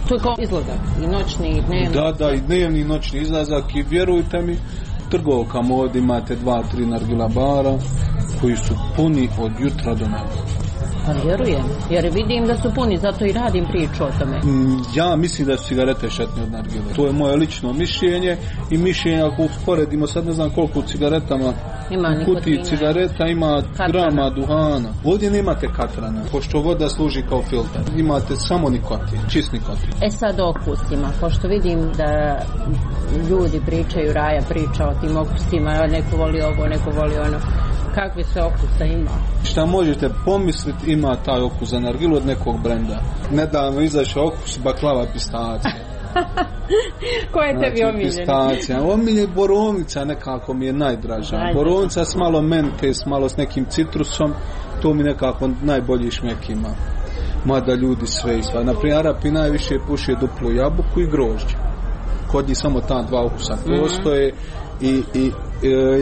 To je kao izlazak, i noćni, i dnevni. Da, i dnevni, i noćni izlazak, i vjerujte mi, trgovkama ovdje imate 2-3 nargila bara koji su puni od jutra do neba. Pa vjerujem, jer vidim da su puni, zato i radim priču o tome. Ja mislim da su cigarete štetne od nargile. To je moje lično mišljenje i mišljenje ako usporedimo, sad ne znam koliko u cigaretama, u kutiji cigareta ima grama duhana. Ovdje nemate katrana, pošto voda služi kao filtar. Imate samo nikotin, čist nikotin. Sad o okusima, pošto vidim da ljudi pričaju, Raja priča o tim okusima, neko voli ovo, neko voli ono. Kakve se okusa ima? Šta možete pomisliti ima taj okus za nargilu od nekog brenda. Nedavno izašao okus baklava pistacija. Ko je tebi omiljen? Pistacija. Omiljen borovnica nekako mi je najdraža. Borovnica s malo mente, s malo s nekim citrusom, to mi nekako najbolji šmek ima. Mada ljudi sve isva. Naprimjer, Arapi najviše puše duplu jabuku i grožđe. Kod njih samo ta dva okusa postoje i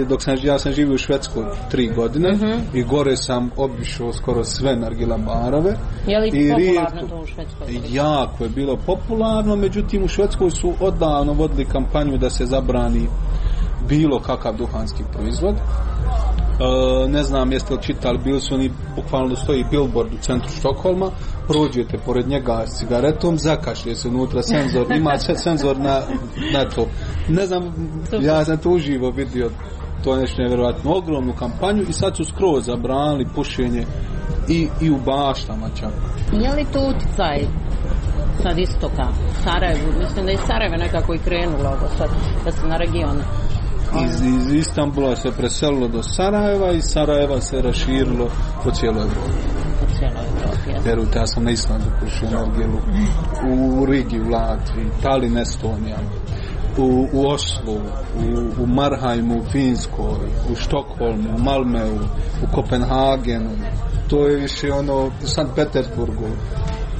dok ja sam živio u Švedskoj 3 godine i gore sam obišao skoro sve nargila barove. Je li popularno to u Švedskoj? Jako je bilo popularno, međutim u Švedskoj su odavno vodili kampanju da se zabrani bilo kakav duhanski proizvod. Ne znam jeste li čitali, bili su oni, bukvalno stoji billboard u centru Štokholma, prođete pored njega s cigaretom, zakašlje se unutra senzor, ima senzor na to. Ne znam, ja sam to uživo vidio, to je nešto nevjerojatno, ogromnu kampanju i sad su skroz zabranili pušenje i u baštama čak. Je li to uticaj sad istoka, Sarajevu? Mislim da je Sarajevo nekako i krenulo ovo sad, da se na region. Iz Istanbula se preselilo do Sarajeva i Sarajeva se raširilo po cijeloj Evropi. Vjerujte, ja sam na Islandu pušio nargilu, u Rigi, u Latviji, Tallinn, Estonija, u Oslu, u Marhajmu, u Finskoj, u Štokholmu, u Malmeu, u Kopenhagenu, to je više ono u Sankt Petersburgu.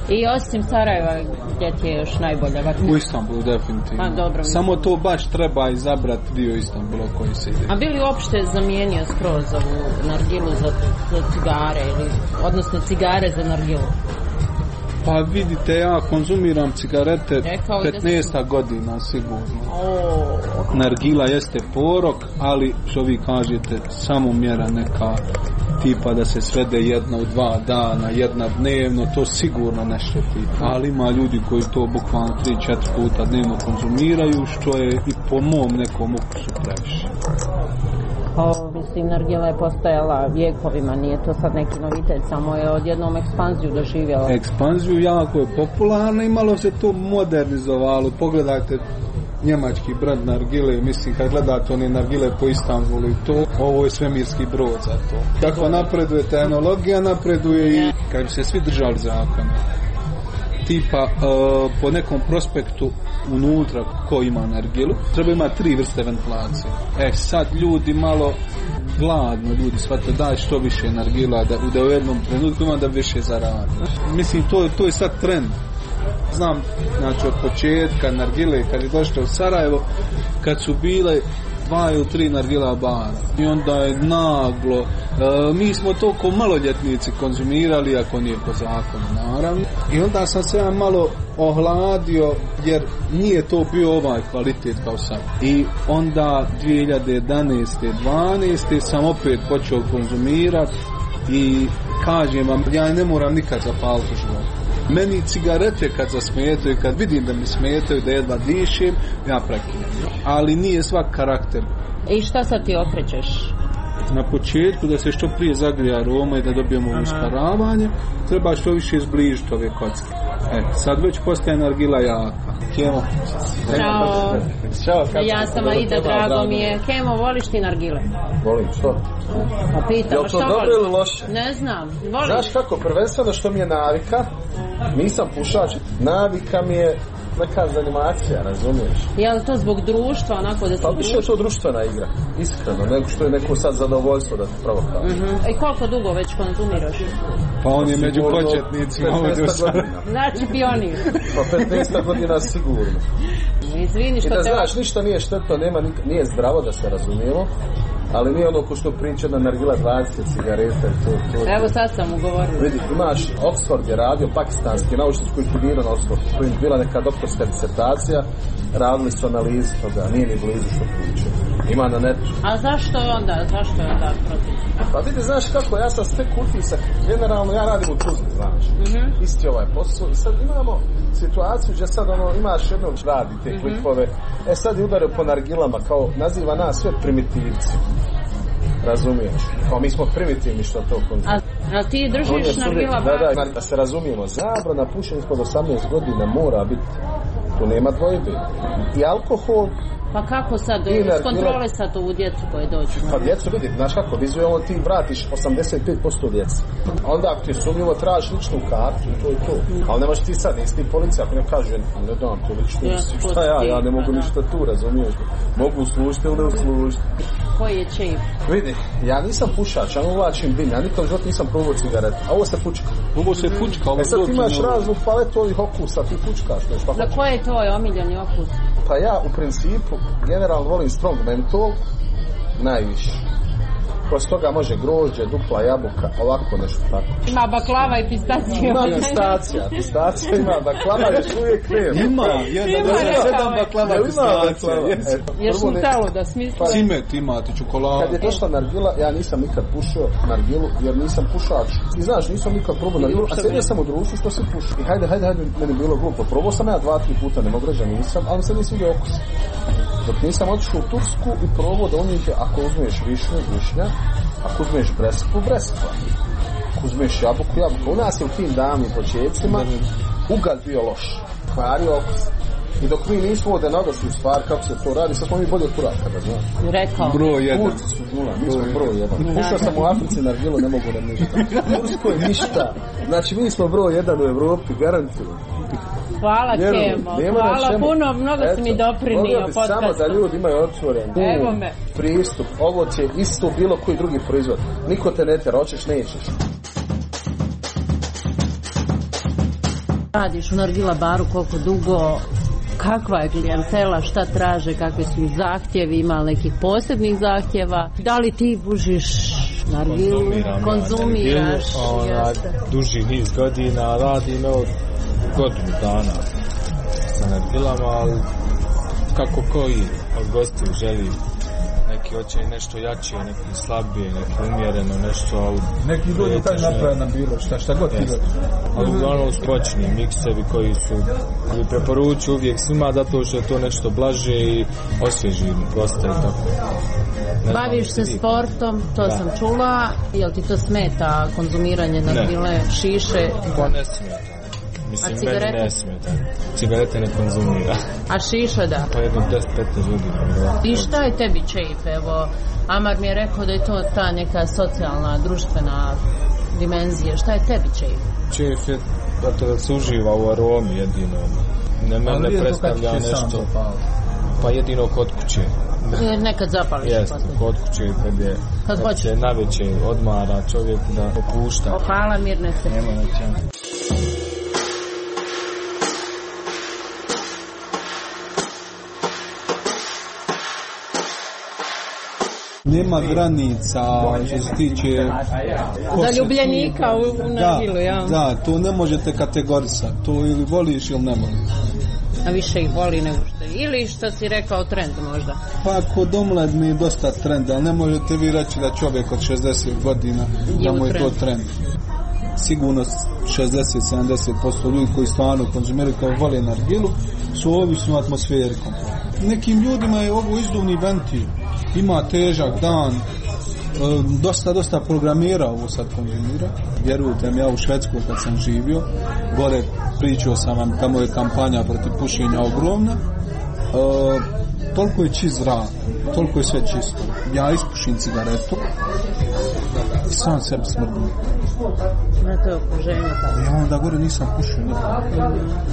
I osim Sarajeva, gdje ti je još najbolja? U Istanbulu, definitivno. Dobro, samo to baš treba izabrati dio Istanbula koji se ide. A bi li uopšte zamijenio skroz ovu nargilu za cigare, odnosno cigare za nargilu? Pa vidite, ja konzumiram cigarete 15 godina sigurno. Nargila jeste porok, ali što vi kažete, samo mjera neka tipa da se svede jedna u 2 dana, jedna dnevno, to sigurno ne šteti. Ali ima ljudi koji to bukvalno 3-4 puta dnevno konzumiraju, što je i po mom nekom ukusu previše. Mislim, nargila je postojala vjekovima, nije to sad neki novitet, samo je odjednom ekspanziju doživjela. Ekspanziju jako je popularna i malo se to modernizovalo. Pogledajte njemački brand nargile, mislim kad gledate one nargile po Istanbulu i to, ovo je svemirski brod za to. Kako napreduje tehnologija, napreduje i kad bi se svi držali zakona. Tipa po nekom prospektu unutra ko ima nargilu treba imati 3 vrste ventilacije. Sad ljudi malo gladno, ljudi shvate daj što više nargila da u jednom trenutku ima da više zaradi. Mislim to je sad trend. Znam, znači od početka nargile kad je došlo u Sarajevo, kad su bile 2 ili 3 nargila bara i onda je naglo mi smo toliko maloljetnici konzumirali, ako nije po zakonu naravno, i onda sam se ja malo ohladio jer nije to bio ovaj kvalitet kao sad. I onda 2011. 12. sam opet počeo konzumirati i kažem vam, ja ne moram nikad zapaliti u životu. Meni cigarete kad zasmetaju, kad vidim da mi smetaju, da jedva dišem, ja prekinem. Ali nije svak karakter. I šta sad ti okrećeš? Na početku da se što prije zagrije aroma i da dobijemo usparavanje, treba što više izbližiti ove kocke. Sad već postaje nargila jaka. Kemo. Ćao. Ja sam Aida, drago mi je. Kemo, voliš ti nargile? Volim, što? Pa pitam, je li to dobro ili loše? Ne znam, volim. Znaš kako, prvenstveno što mi je navika, nisam pušač, navika mi je neka zanimacija, razumiješ? Je li to zbog društva, onako da se... Pa više je to društvena igra, iskreno, nego što je neko sad zadovoljstvo da te pravo kaže. I koliko dugo već konzumiraš? Pa on je među početnicima ovdje u Sarajevu. Znači pionir. Pa 15 godina sigurno. Izvini što te... I da znaš, ništa nije štetno, nije zdravo da se razumijemo, Ali nije ono ko što priča da nargila 20 cigareta i to. Evo sad sam ugovorio. Vidi, imaš Oxford je radio, pakistanski naučnici koji studirao na Oxfordu, koji je bila neka doktorska disertacija, radili su analizu toga, nije ni blizu što priča. Ima na netu. A zašto je onda protiv? Pa vidi, znaš kako, ja sam sve utisak, generalno ja radim u Tuzli, znaš. Isti ovaj posao. I sad imamo situaciju gdje sad imaš jednog radi te klipove, sad je udario po nargilama, kao naziva nas sve primitivci. Razumiješ? Kao mi smo primitivni što to konzumira. A ti držiš nargila bar? Da se razumijemo, zabrana pušenja ispod 18 godina mora biti, tu nema dvojbe. I alkohol. Pa kako sad iskontrolisati ovu djecu koje dođu? Pa djecu vidi, znaš kako, vizualno ti vratiš 85% djece. Onda ako ti sumnjivo tražiš ličnu kartu, to je to. Ali nemaš ti sad, nisi ti policija, ako ne kaže, ne dam tu ličnu, šta ja ne mogu ništa tu, razumiješ? Mogu služiti ili ne uslužiti. Koji je čip? Vidi, ja nisam pušač, ja ne uvlačim dim, ja nikad u životu nisam probao cigaretu, a ovo se pučka. Ovo se pučka, ovo sad ti imaš raznu paletu ovih okusa, ti pučkaš nešto. Na koji je tvoj omiljeni okus? Pa ja u principu generalno volim strong mentol najviše. Posle toga može grožđe, dupla jabuka, ovako nešto tako. Ima baklava i pistacija. Ima pistacija ima, baklava još uvijek nema. Ima, 7 baklava pistacija. Ješ Nutellu da smisli? Cimet imate, čokoladu. Kad je došla nargila, ja nisam nikad pušio nargilu, jer nisam pušač. I znaš, nisam nikad probao nargilu, a sjedio sam u društvu što se puši. I hajde, meni bilo glupo. Probao sam ja 2-3 puta, ne mogu reći nisam, ali se nisam vidio okus. Dok nisam otišao u Tursku i probao da unijete, ako uzmeš višnja, ako uzmeš breskvu, ako uzmeš jabuku. U nas je u tim davnim početcima ugalj bio loš, kvario okus. I dok mi nismo ovdje naglasili stvar kako se to radi, sad smo mi bolje od Turaka, da znaš. Rekao. Broj 1. Mi smo broj 1. Pušao sam u Africi nargilu, ne mogu nam ništa. Tursko je ništa. Znači mi smo broj 1 u Evropi, garantujem. Hvala Kemo, hvala puno, mnogo si mi doprinio podcastu. Samo da ljudi imaju otvoren pristup, ovo će isto bilo koji drugi proizvod. Niko te ne tera, hoćeš, nećeš. Radiš u nargila baru koliko dugo, kakva je klijentela, šta traže, kakvi su zahtjevi, ima nekih posebnih zahtjeva, da li ti pušiš nargilu, konzumiraš? Duži niz godina, radim godinu dana sa nargilama, ali kako koji od gostiju želi, neki hoće nešto jače, neki slabije, neki umjereno nešto, ali neki ljudi taj naprave na bilo šta god ti dođe. Ali uglavnom skočni miksevi koji preporučuju uvijek svima, zato što je to nešto blaže i osvježi gosta i tako. Baviš se sportom, to sam čula, jel ti to smeta konzumiranje nargile, šiše? To ne smeta. Mislim, meni ne smeta. Cigarete ne konzumira. A šiša da? Pa jedno 10-15 godina. I šta je tebi čejf? Evo, Amar mi je rekao da je to ta neka socijalna, društvena dimenzija. Šta je tebi čejf? Čejf je da se uživa u aromi jedino. Ne predstavlja nešto. Pa jedino kod kuće. Nekad zapališ. Jeste, kod kuće kad se navečer odmara čovjek da opušta. Hvala Mirnece. Nema nećemo. Nema granica što se tiče zaljubljenika u nargilu, ja. Da, to ne možete kategorisati, to ili voliš ili ne voliš. A više ih voli nego što je. Ili što si rekao trend možda? Pa kod omladne je dosta trend, ali ne možete vi reći da čovjek od 60 godina da mu je to trend. Sigurno 60-70% ljudi koji stvarno konzumiraju kao vole nargilu su ovisni o atmosferi. Nekim ljudima je ovo izduvni ventil. Ima težak dan, dosta programira ovo sad konzumira. Vjerujte mi, ja u Švedskoj kad sam živio, gore pričao sam vam, tamo je kampanja protiv pušenja ogromna, toliko je čist zrak, toliko je sve čisto. Ja ispušim cigaretu i sam sebi smrdim. Na to okruženje tako. Ja onda gore nisam pušio nikada.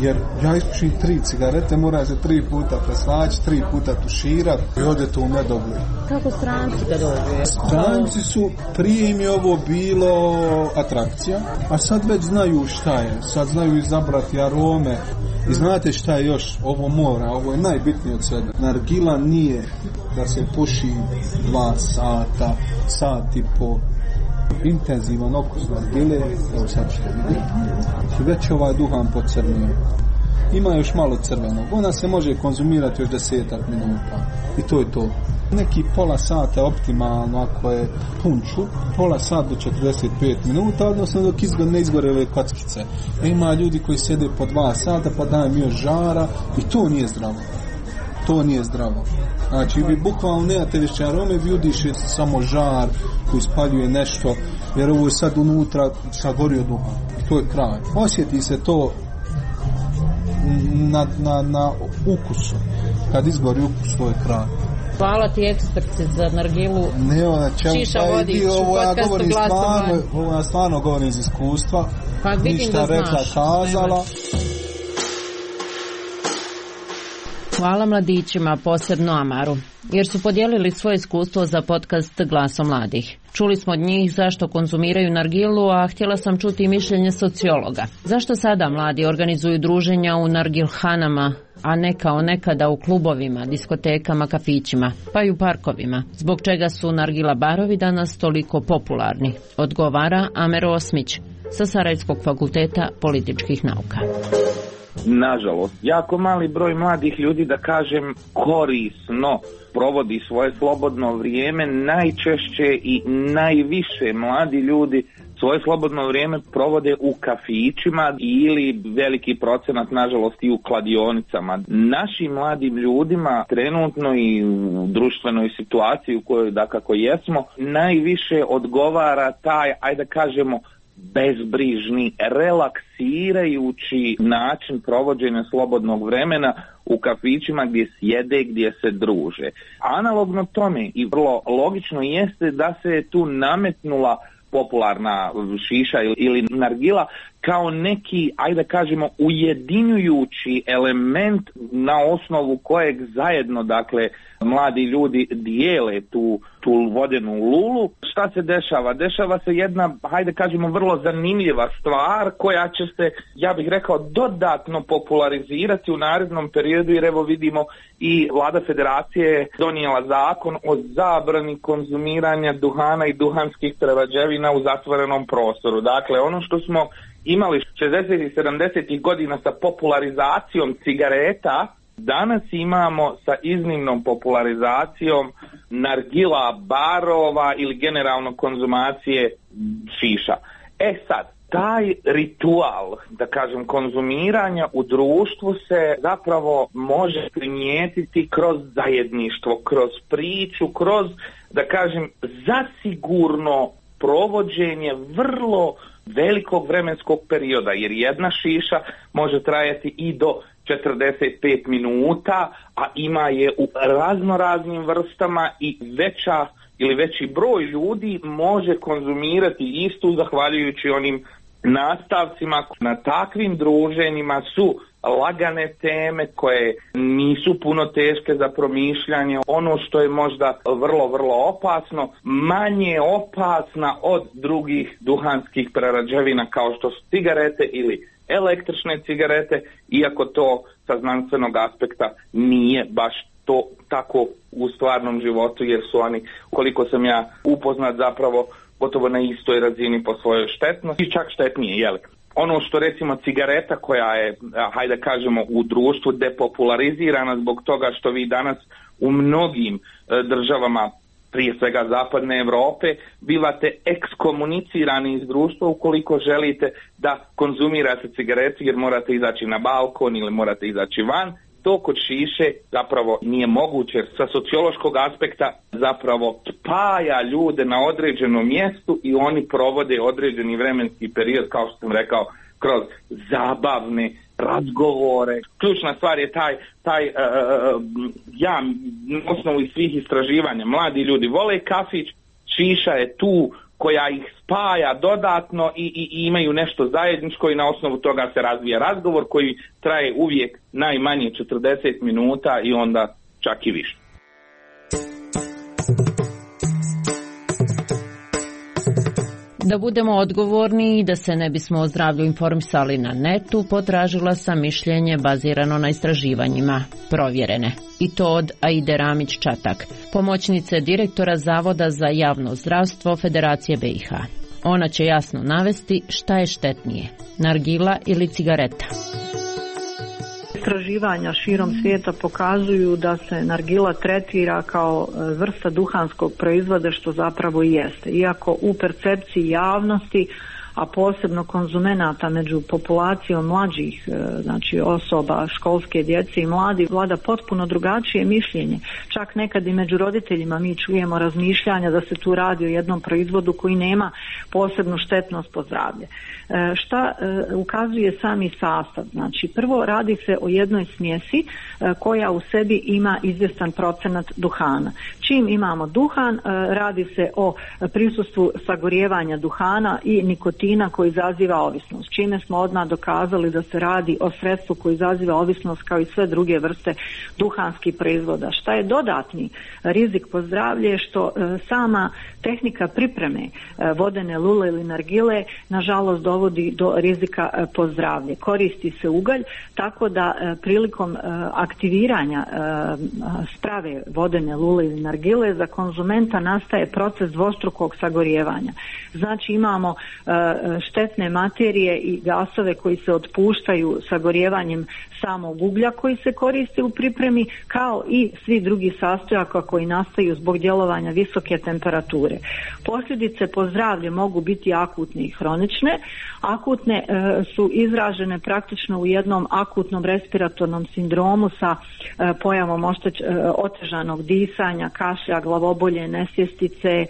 Jer ja ispušim 3 cigarete, mora se 3 puta preslaći, 3 puta tuširati i ode to u nedogled. Kako stranci da dođu? Stranci su, prije im je ovo bilo atrakcija, a sad već znaju šta je. Sad znaju izabrati arome, I znate šta je još? Ovo je najbitnije od svega. Nargila nije da se puši 2 sata, sat i po. Intenzivan okus nargile, evo sad što vidite, i već ovaj duhan pocrnio. Ima još malo crvenog, ona se može konzumirati još 10 minuta i to je to. Neki pola sata optimalno ako je punču, pola sata do 45 minuta, odnosno dok ne izgore ove kockice. Ima ljudi koji sede po 2 sata pa dajem još žara i to nije zdravo. To nije zdravo. Znači vi bukvalno nemate više arome, vi udišete samo žar koji spaljuje nešto, jer ovo je sad unutra sagorio duhan. I to je kraj. Osjeti se to na ukusu. Kad izgori ukus, to je kraj. Hvala ti eksperti za nargilu. Šiša Vodić u podcastu Glasom Mladih. Ovo ja stvarno govorim iz iskustva. Pa vidim ništa da rekla, znaš. kazala. Hvala mladićima, posebno Amaru, jer su podijelili svoje iskustvo za podcast Glasom Mladih. Čuli smo od njih zašto konzumiraju nargilu, a htjela sam čuti mišljenje sociologa. Zašto sada mladi organizuju druženja u nargilhanama, a ne kao nekada u klubovima, diskotekama, kafićima, pa i u parkovima? Zbog čega su nargila barovi danas toliko popularni? Odgovara Amer Osmić sa Sarajevskog fakulteta političkih nauka. Nažalost, jako mali broj mladih ljudi, da kažem, korisno provodi svoje slobodno vrijeme. Najčešće i najviše mladi ljudi svoje slobodno vrijeme provode u kafićima ili veliki procenat, nažalost, i u kladionicama. Našim mladim ljudima trenutno i u društvenoj situaciji u kojoj dakako jesmo, najviše odgovara taj, ajde kažemo, bezbrižni, relaksirajući način provođenja slobodnog vremena u kafićima gdje sjede, gdje se druže. Analogno tome i vrlo logično jeste da se tu nametnula popularna šiša ili nargila kao neki, ajde kažemo, ujedinjujući element na osnovu kojeg zajedno, dakle, mladi ljudi dijele tu vodenu lulu. Šta se dešava? Dešava se jedna, hajde kažemo, vrlo zanimljiva stvar koja će se, ja bih rekao, dodatno popularizirati u narednom periodu, jer evo vidimo i Vlada Federacije donijela zakon o zabrani konzumiranja duhana i duhanskih prerađevina u zatvorenom prostoru. Dakle, ono što smo imali 60. i 70. godina sa popularizacijom cigareta, danas imamo sa iznimnom popularizacijom nargila barova ili generalno konzumacije šiša. Sad, taj ritual, da kažem, konzumiranja u društvu se zapravo može primijetiti kroz zajedništvo, kroz priču, kroz, da kažem, zasigurno provođenje vrlo velikog vremenskog perioda, jer jedna šiša može trajati i do 45 minuta, a ima je u raznoraznim vrstama i veća ili veći broj ljudi može konzumirati istu zahvaljujući onim nastavcima. Na takvim druženjima su lagane teme koje nisu puno teške za promišljanje. Ono što je možda vrlo, vrlo opasno, manje opasna od drugih duhanskih prerađevina kao što su cigarete ili električne cigarete, iako to sa znanstvenog aspekta nije baš to tako u stvarnom životu, jer su oni, koliko sam ja upoznat, zapravo gotovo na istoj razini po svojoj štetnosti i čak štetnije, jel? Ono što recimo cigareta koja je, hajde kažemo, u društvu depopularizirana zbog toga što vi danas u mnogim državama, prije svega zapadne Europe, bivate ekskomunicirani iz društva ukoliko želite da konzumirate cigaretu, jer morate izaći na balkon ili morate izaći van. To kod šiše zapravo nije moguće, jer sa sociološkog aspekta zapravo spaja ljude na određenom mjestu i oni provode određeni vremenski period, kao što sam rekao, kroz zabavne razgovore. Ključna stvar je ja na osnovu svih istraživanja, mladi ljudi vole kafić, šiša je tu koja ih spaja dodatno i imaju nešto zajedničko i na osnovu toga se razvija razgovor koji traje uvijek najmanje 40 minuta i onda čak i više. Da budemo odgovorni i da se ne bismo o zdravlju informisali na netu, potražila sam mišljenje bazirano na istraživanjima, provjerene. I to od Aide Ramić-Čatak, pomoćnice direktora Zavoda za javno zdravstvo Federacije BiH. Ona će jasno navesti šta je štetnije, nargila ili cigareta. Istraživanja širom svijeta pokazuju da se nargila tretira kao vrsta duhanskog proizvoda, što zapravo i jeste. Iako u percepciji javnosti, a posebno konzumenata među populacijom mlađih, znači osoba, školske djece i mladi, vlada potpuno drugačije mišljenje. Čak nekad i među roditeljima mi čujemo razmišljanja da se tu radi o jednom proizvodu koji nema posebnu štetnost po zdravlje. Šta ukazuje sami sastav? Znači, prvo radi se o jednoj smjesi koja u sebi ima izvjestan procenat duhana. Čim imamo duhan, radi se o prisustvu sagorijevanja duhana i nikotina koji izaziva ovisnost. Čime smo odmah dokazali da se radi o sredstvu koji izaziva ovisnost kao i sve druge vrste duhanskih proizvoda. Šta je dodatni rizik po zdravlje, što sama tehnika pripreme vodene lule ili nargile nažalost dovodi do rizika po zdravlje. Koristi se ugalj, tako da prilikom aktiviranja sprave vodene lule ili nargile za konzumenta nastaje proces dvostrukog sagorijevanja. Znači imamo štetne materije i gasove koji se otpuštaju sagorijevanjem samog uglja koji se koristi u pripremi, kao i svi drugi sastojaka koji nastaju zbog djelovanja visoke temperature. Posljedice po zdravlje mogu biti akutne i hronične. Akutne su izražene praktično u jednom akutnom respiratornom sindromu sa pojavom otežanog disanja, kašlja, glavobolje, nesvjestice,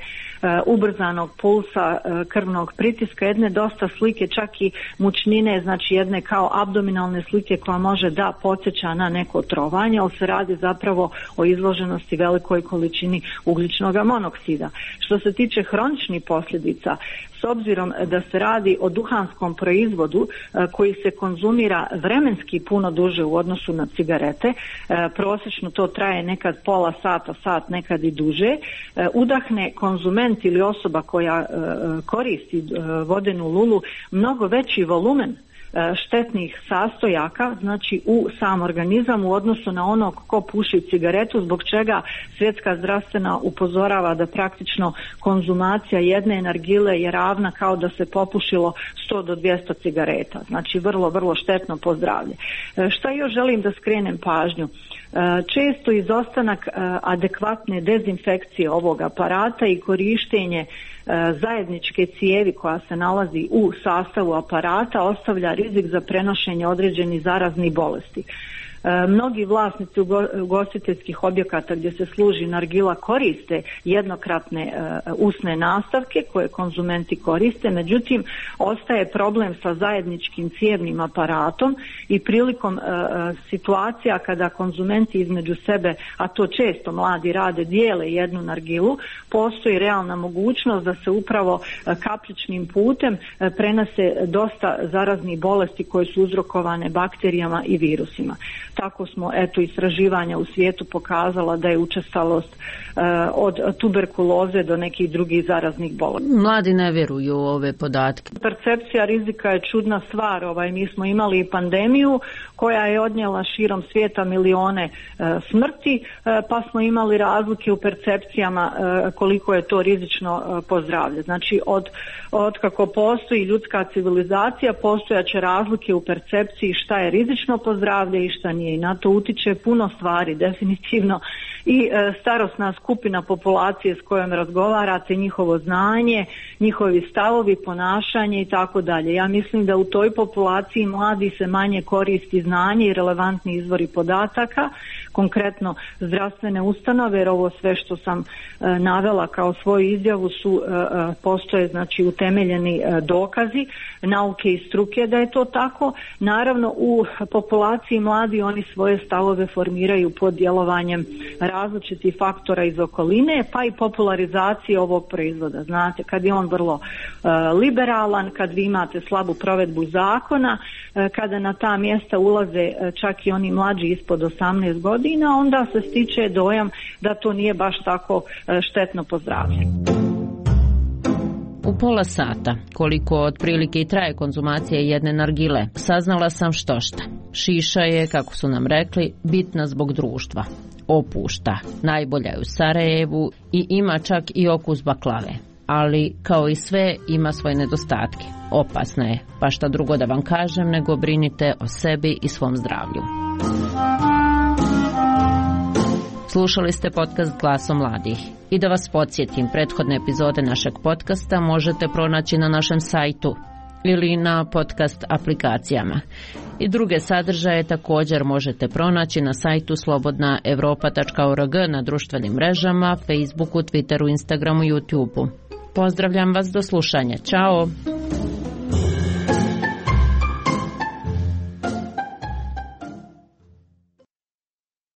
ubrzanog pulsa, krvnog pritiska, jedne dosta slike, čak i mučnine, znači jedne kao abdominalne slike koja može da podsjeća na neko trovanje, ali se radi zapravo o izloženosti velikoj količini ugljičnog monoksida. Što se tiče hroničnih posljedica, s obzirom da se radi o duhanskom proizvodu koji se konzumira vremenski puno duže u odnosu na cigarete, prosječno to traje nekad pola sata, sat, nekad i duže, udahne konzument ili osoba koja koristi vodenu lulu mnogo veći volumen štetnih sastojaka, znači u sam organizam u odnosu na onog ko puši cigaretu, zbog čega Svjetska zdravstvena upozorava da praktično konzumacija jedne nargile je ravna kao da se popušilo 100 do 200 cigareta. Znači vrlo, vrlo štetno po zdravlje. Šta još želim da skrenem pažnju? Često izostanak adekvatne dezinfekcije ovog aparata i korištenje zajedničke cijevi koja se nalazi u sastavu aparata ostavlja rizik za prenošenje određenih zaraznih bolesti. Mnogi vlasnici ugostiteljskih objekata gdje se služi nargila koriste jednokratne usne nastavke koje konzumenti koriste, međutim ostaje problem sa zajedničkim cijevnim aparatom i prilikom situacija kada konzumenti između sebe, a to često mladi rade, dijele jednu nargilu, postoji realna mogućnost da se upravo kapljičnim putem prenose dosta zaraznih bolesti koje su uzrokovane bakterijama i virusima. Tako smo, istraživanja u svijetu pokazala da je učestalost od tuberkuloze do nekih drugih zaraznih bolesti. Mladi ne vjeruju u ove podatke. Percepcija rizika je čudna stvar. Mi smo imali pandemiju koja je odnijela širom svijeta milione smrti, pa smo imali razlike u percepcijama koliko je to rizično po zdravlje. Znači od kako postoji ljudska civilizacija, postojaće razlike u percepciji šta je rizično po zdravlje i šta nije. I na to utiče puno stvari, definitivno i starosna skupina populacije s kojom razgovarate, njihovo znanje, njihovi stavovi, ponašanje i tako dalje. Ja mislim da u toj populaciji mladi se manje koristi znanje i relevantni izvori podataka, konkretno zdravstvene ustanove, jer ovo sve što sam navela kao svoju izjavu su postoje znači utemeljeni dokazi nauke i struke da je to tako. Naravno u populaciji mladi oni svoje stavove formiraju pod djelovanjem različitih faktora iz okoline, pa i popularizacije ovog proizvoda. Znate, kad je on vrlo liberalan, kad vi imate slabu provedbu zakona, kada na ta mjesta ulaze čak i oni mlađi ispod 18 godina, onda se stiče dojam da to nije baš tako štetno po zdravlje. U pola sata, koliko otprilike i traje konzumacija jedne nargile, saznala sam štošta. Šiša je, kako su nam rekli, bitna zbog društva. Opušta, najbolja je u Sarajevu i ima čak i okus baklave. Ali, kao i sve, ima svoje nedostatke. Opasna je, pa šta drugo da vam kažem, nego brinite o sebi i svom zdravlju. Slušali ste podcast Glasom mladih. I da vas podsjetim, prethodne epizode našeg podcasta možete pronaći na našem sajtu ili na podcast aplikacijama. I druge sadržaje također možete pronaći na sajtu slobodnaevropa.org, na društvenim mrežama, Facebooku, Twitteru, Instagramu i YouTubeu. Pozdravljam vas, do slušanja. Ćao!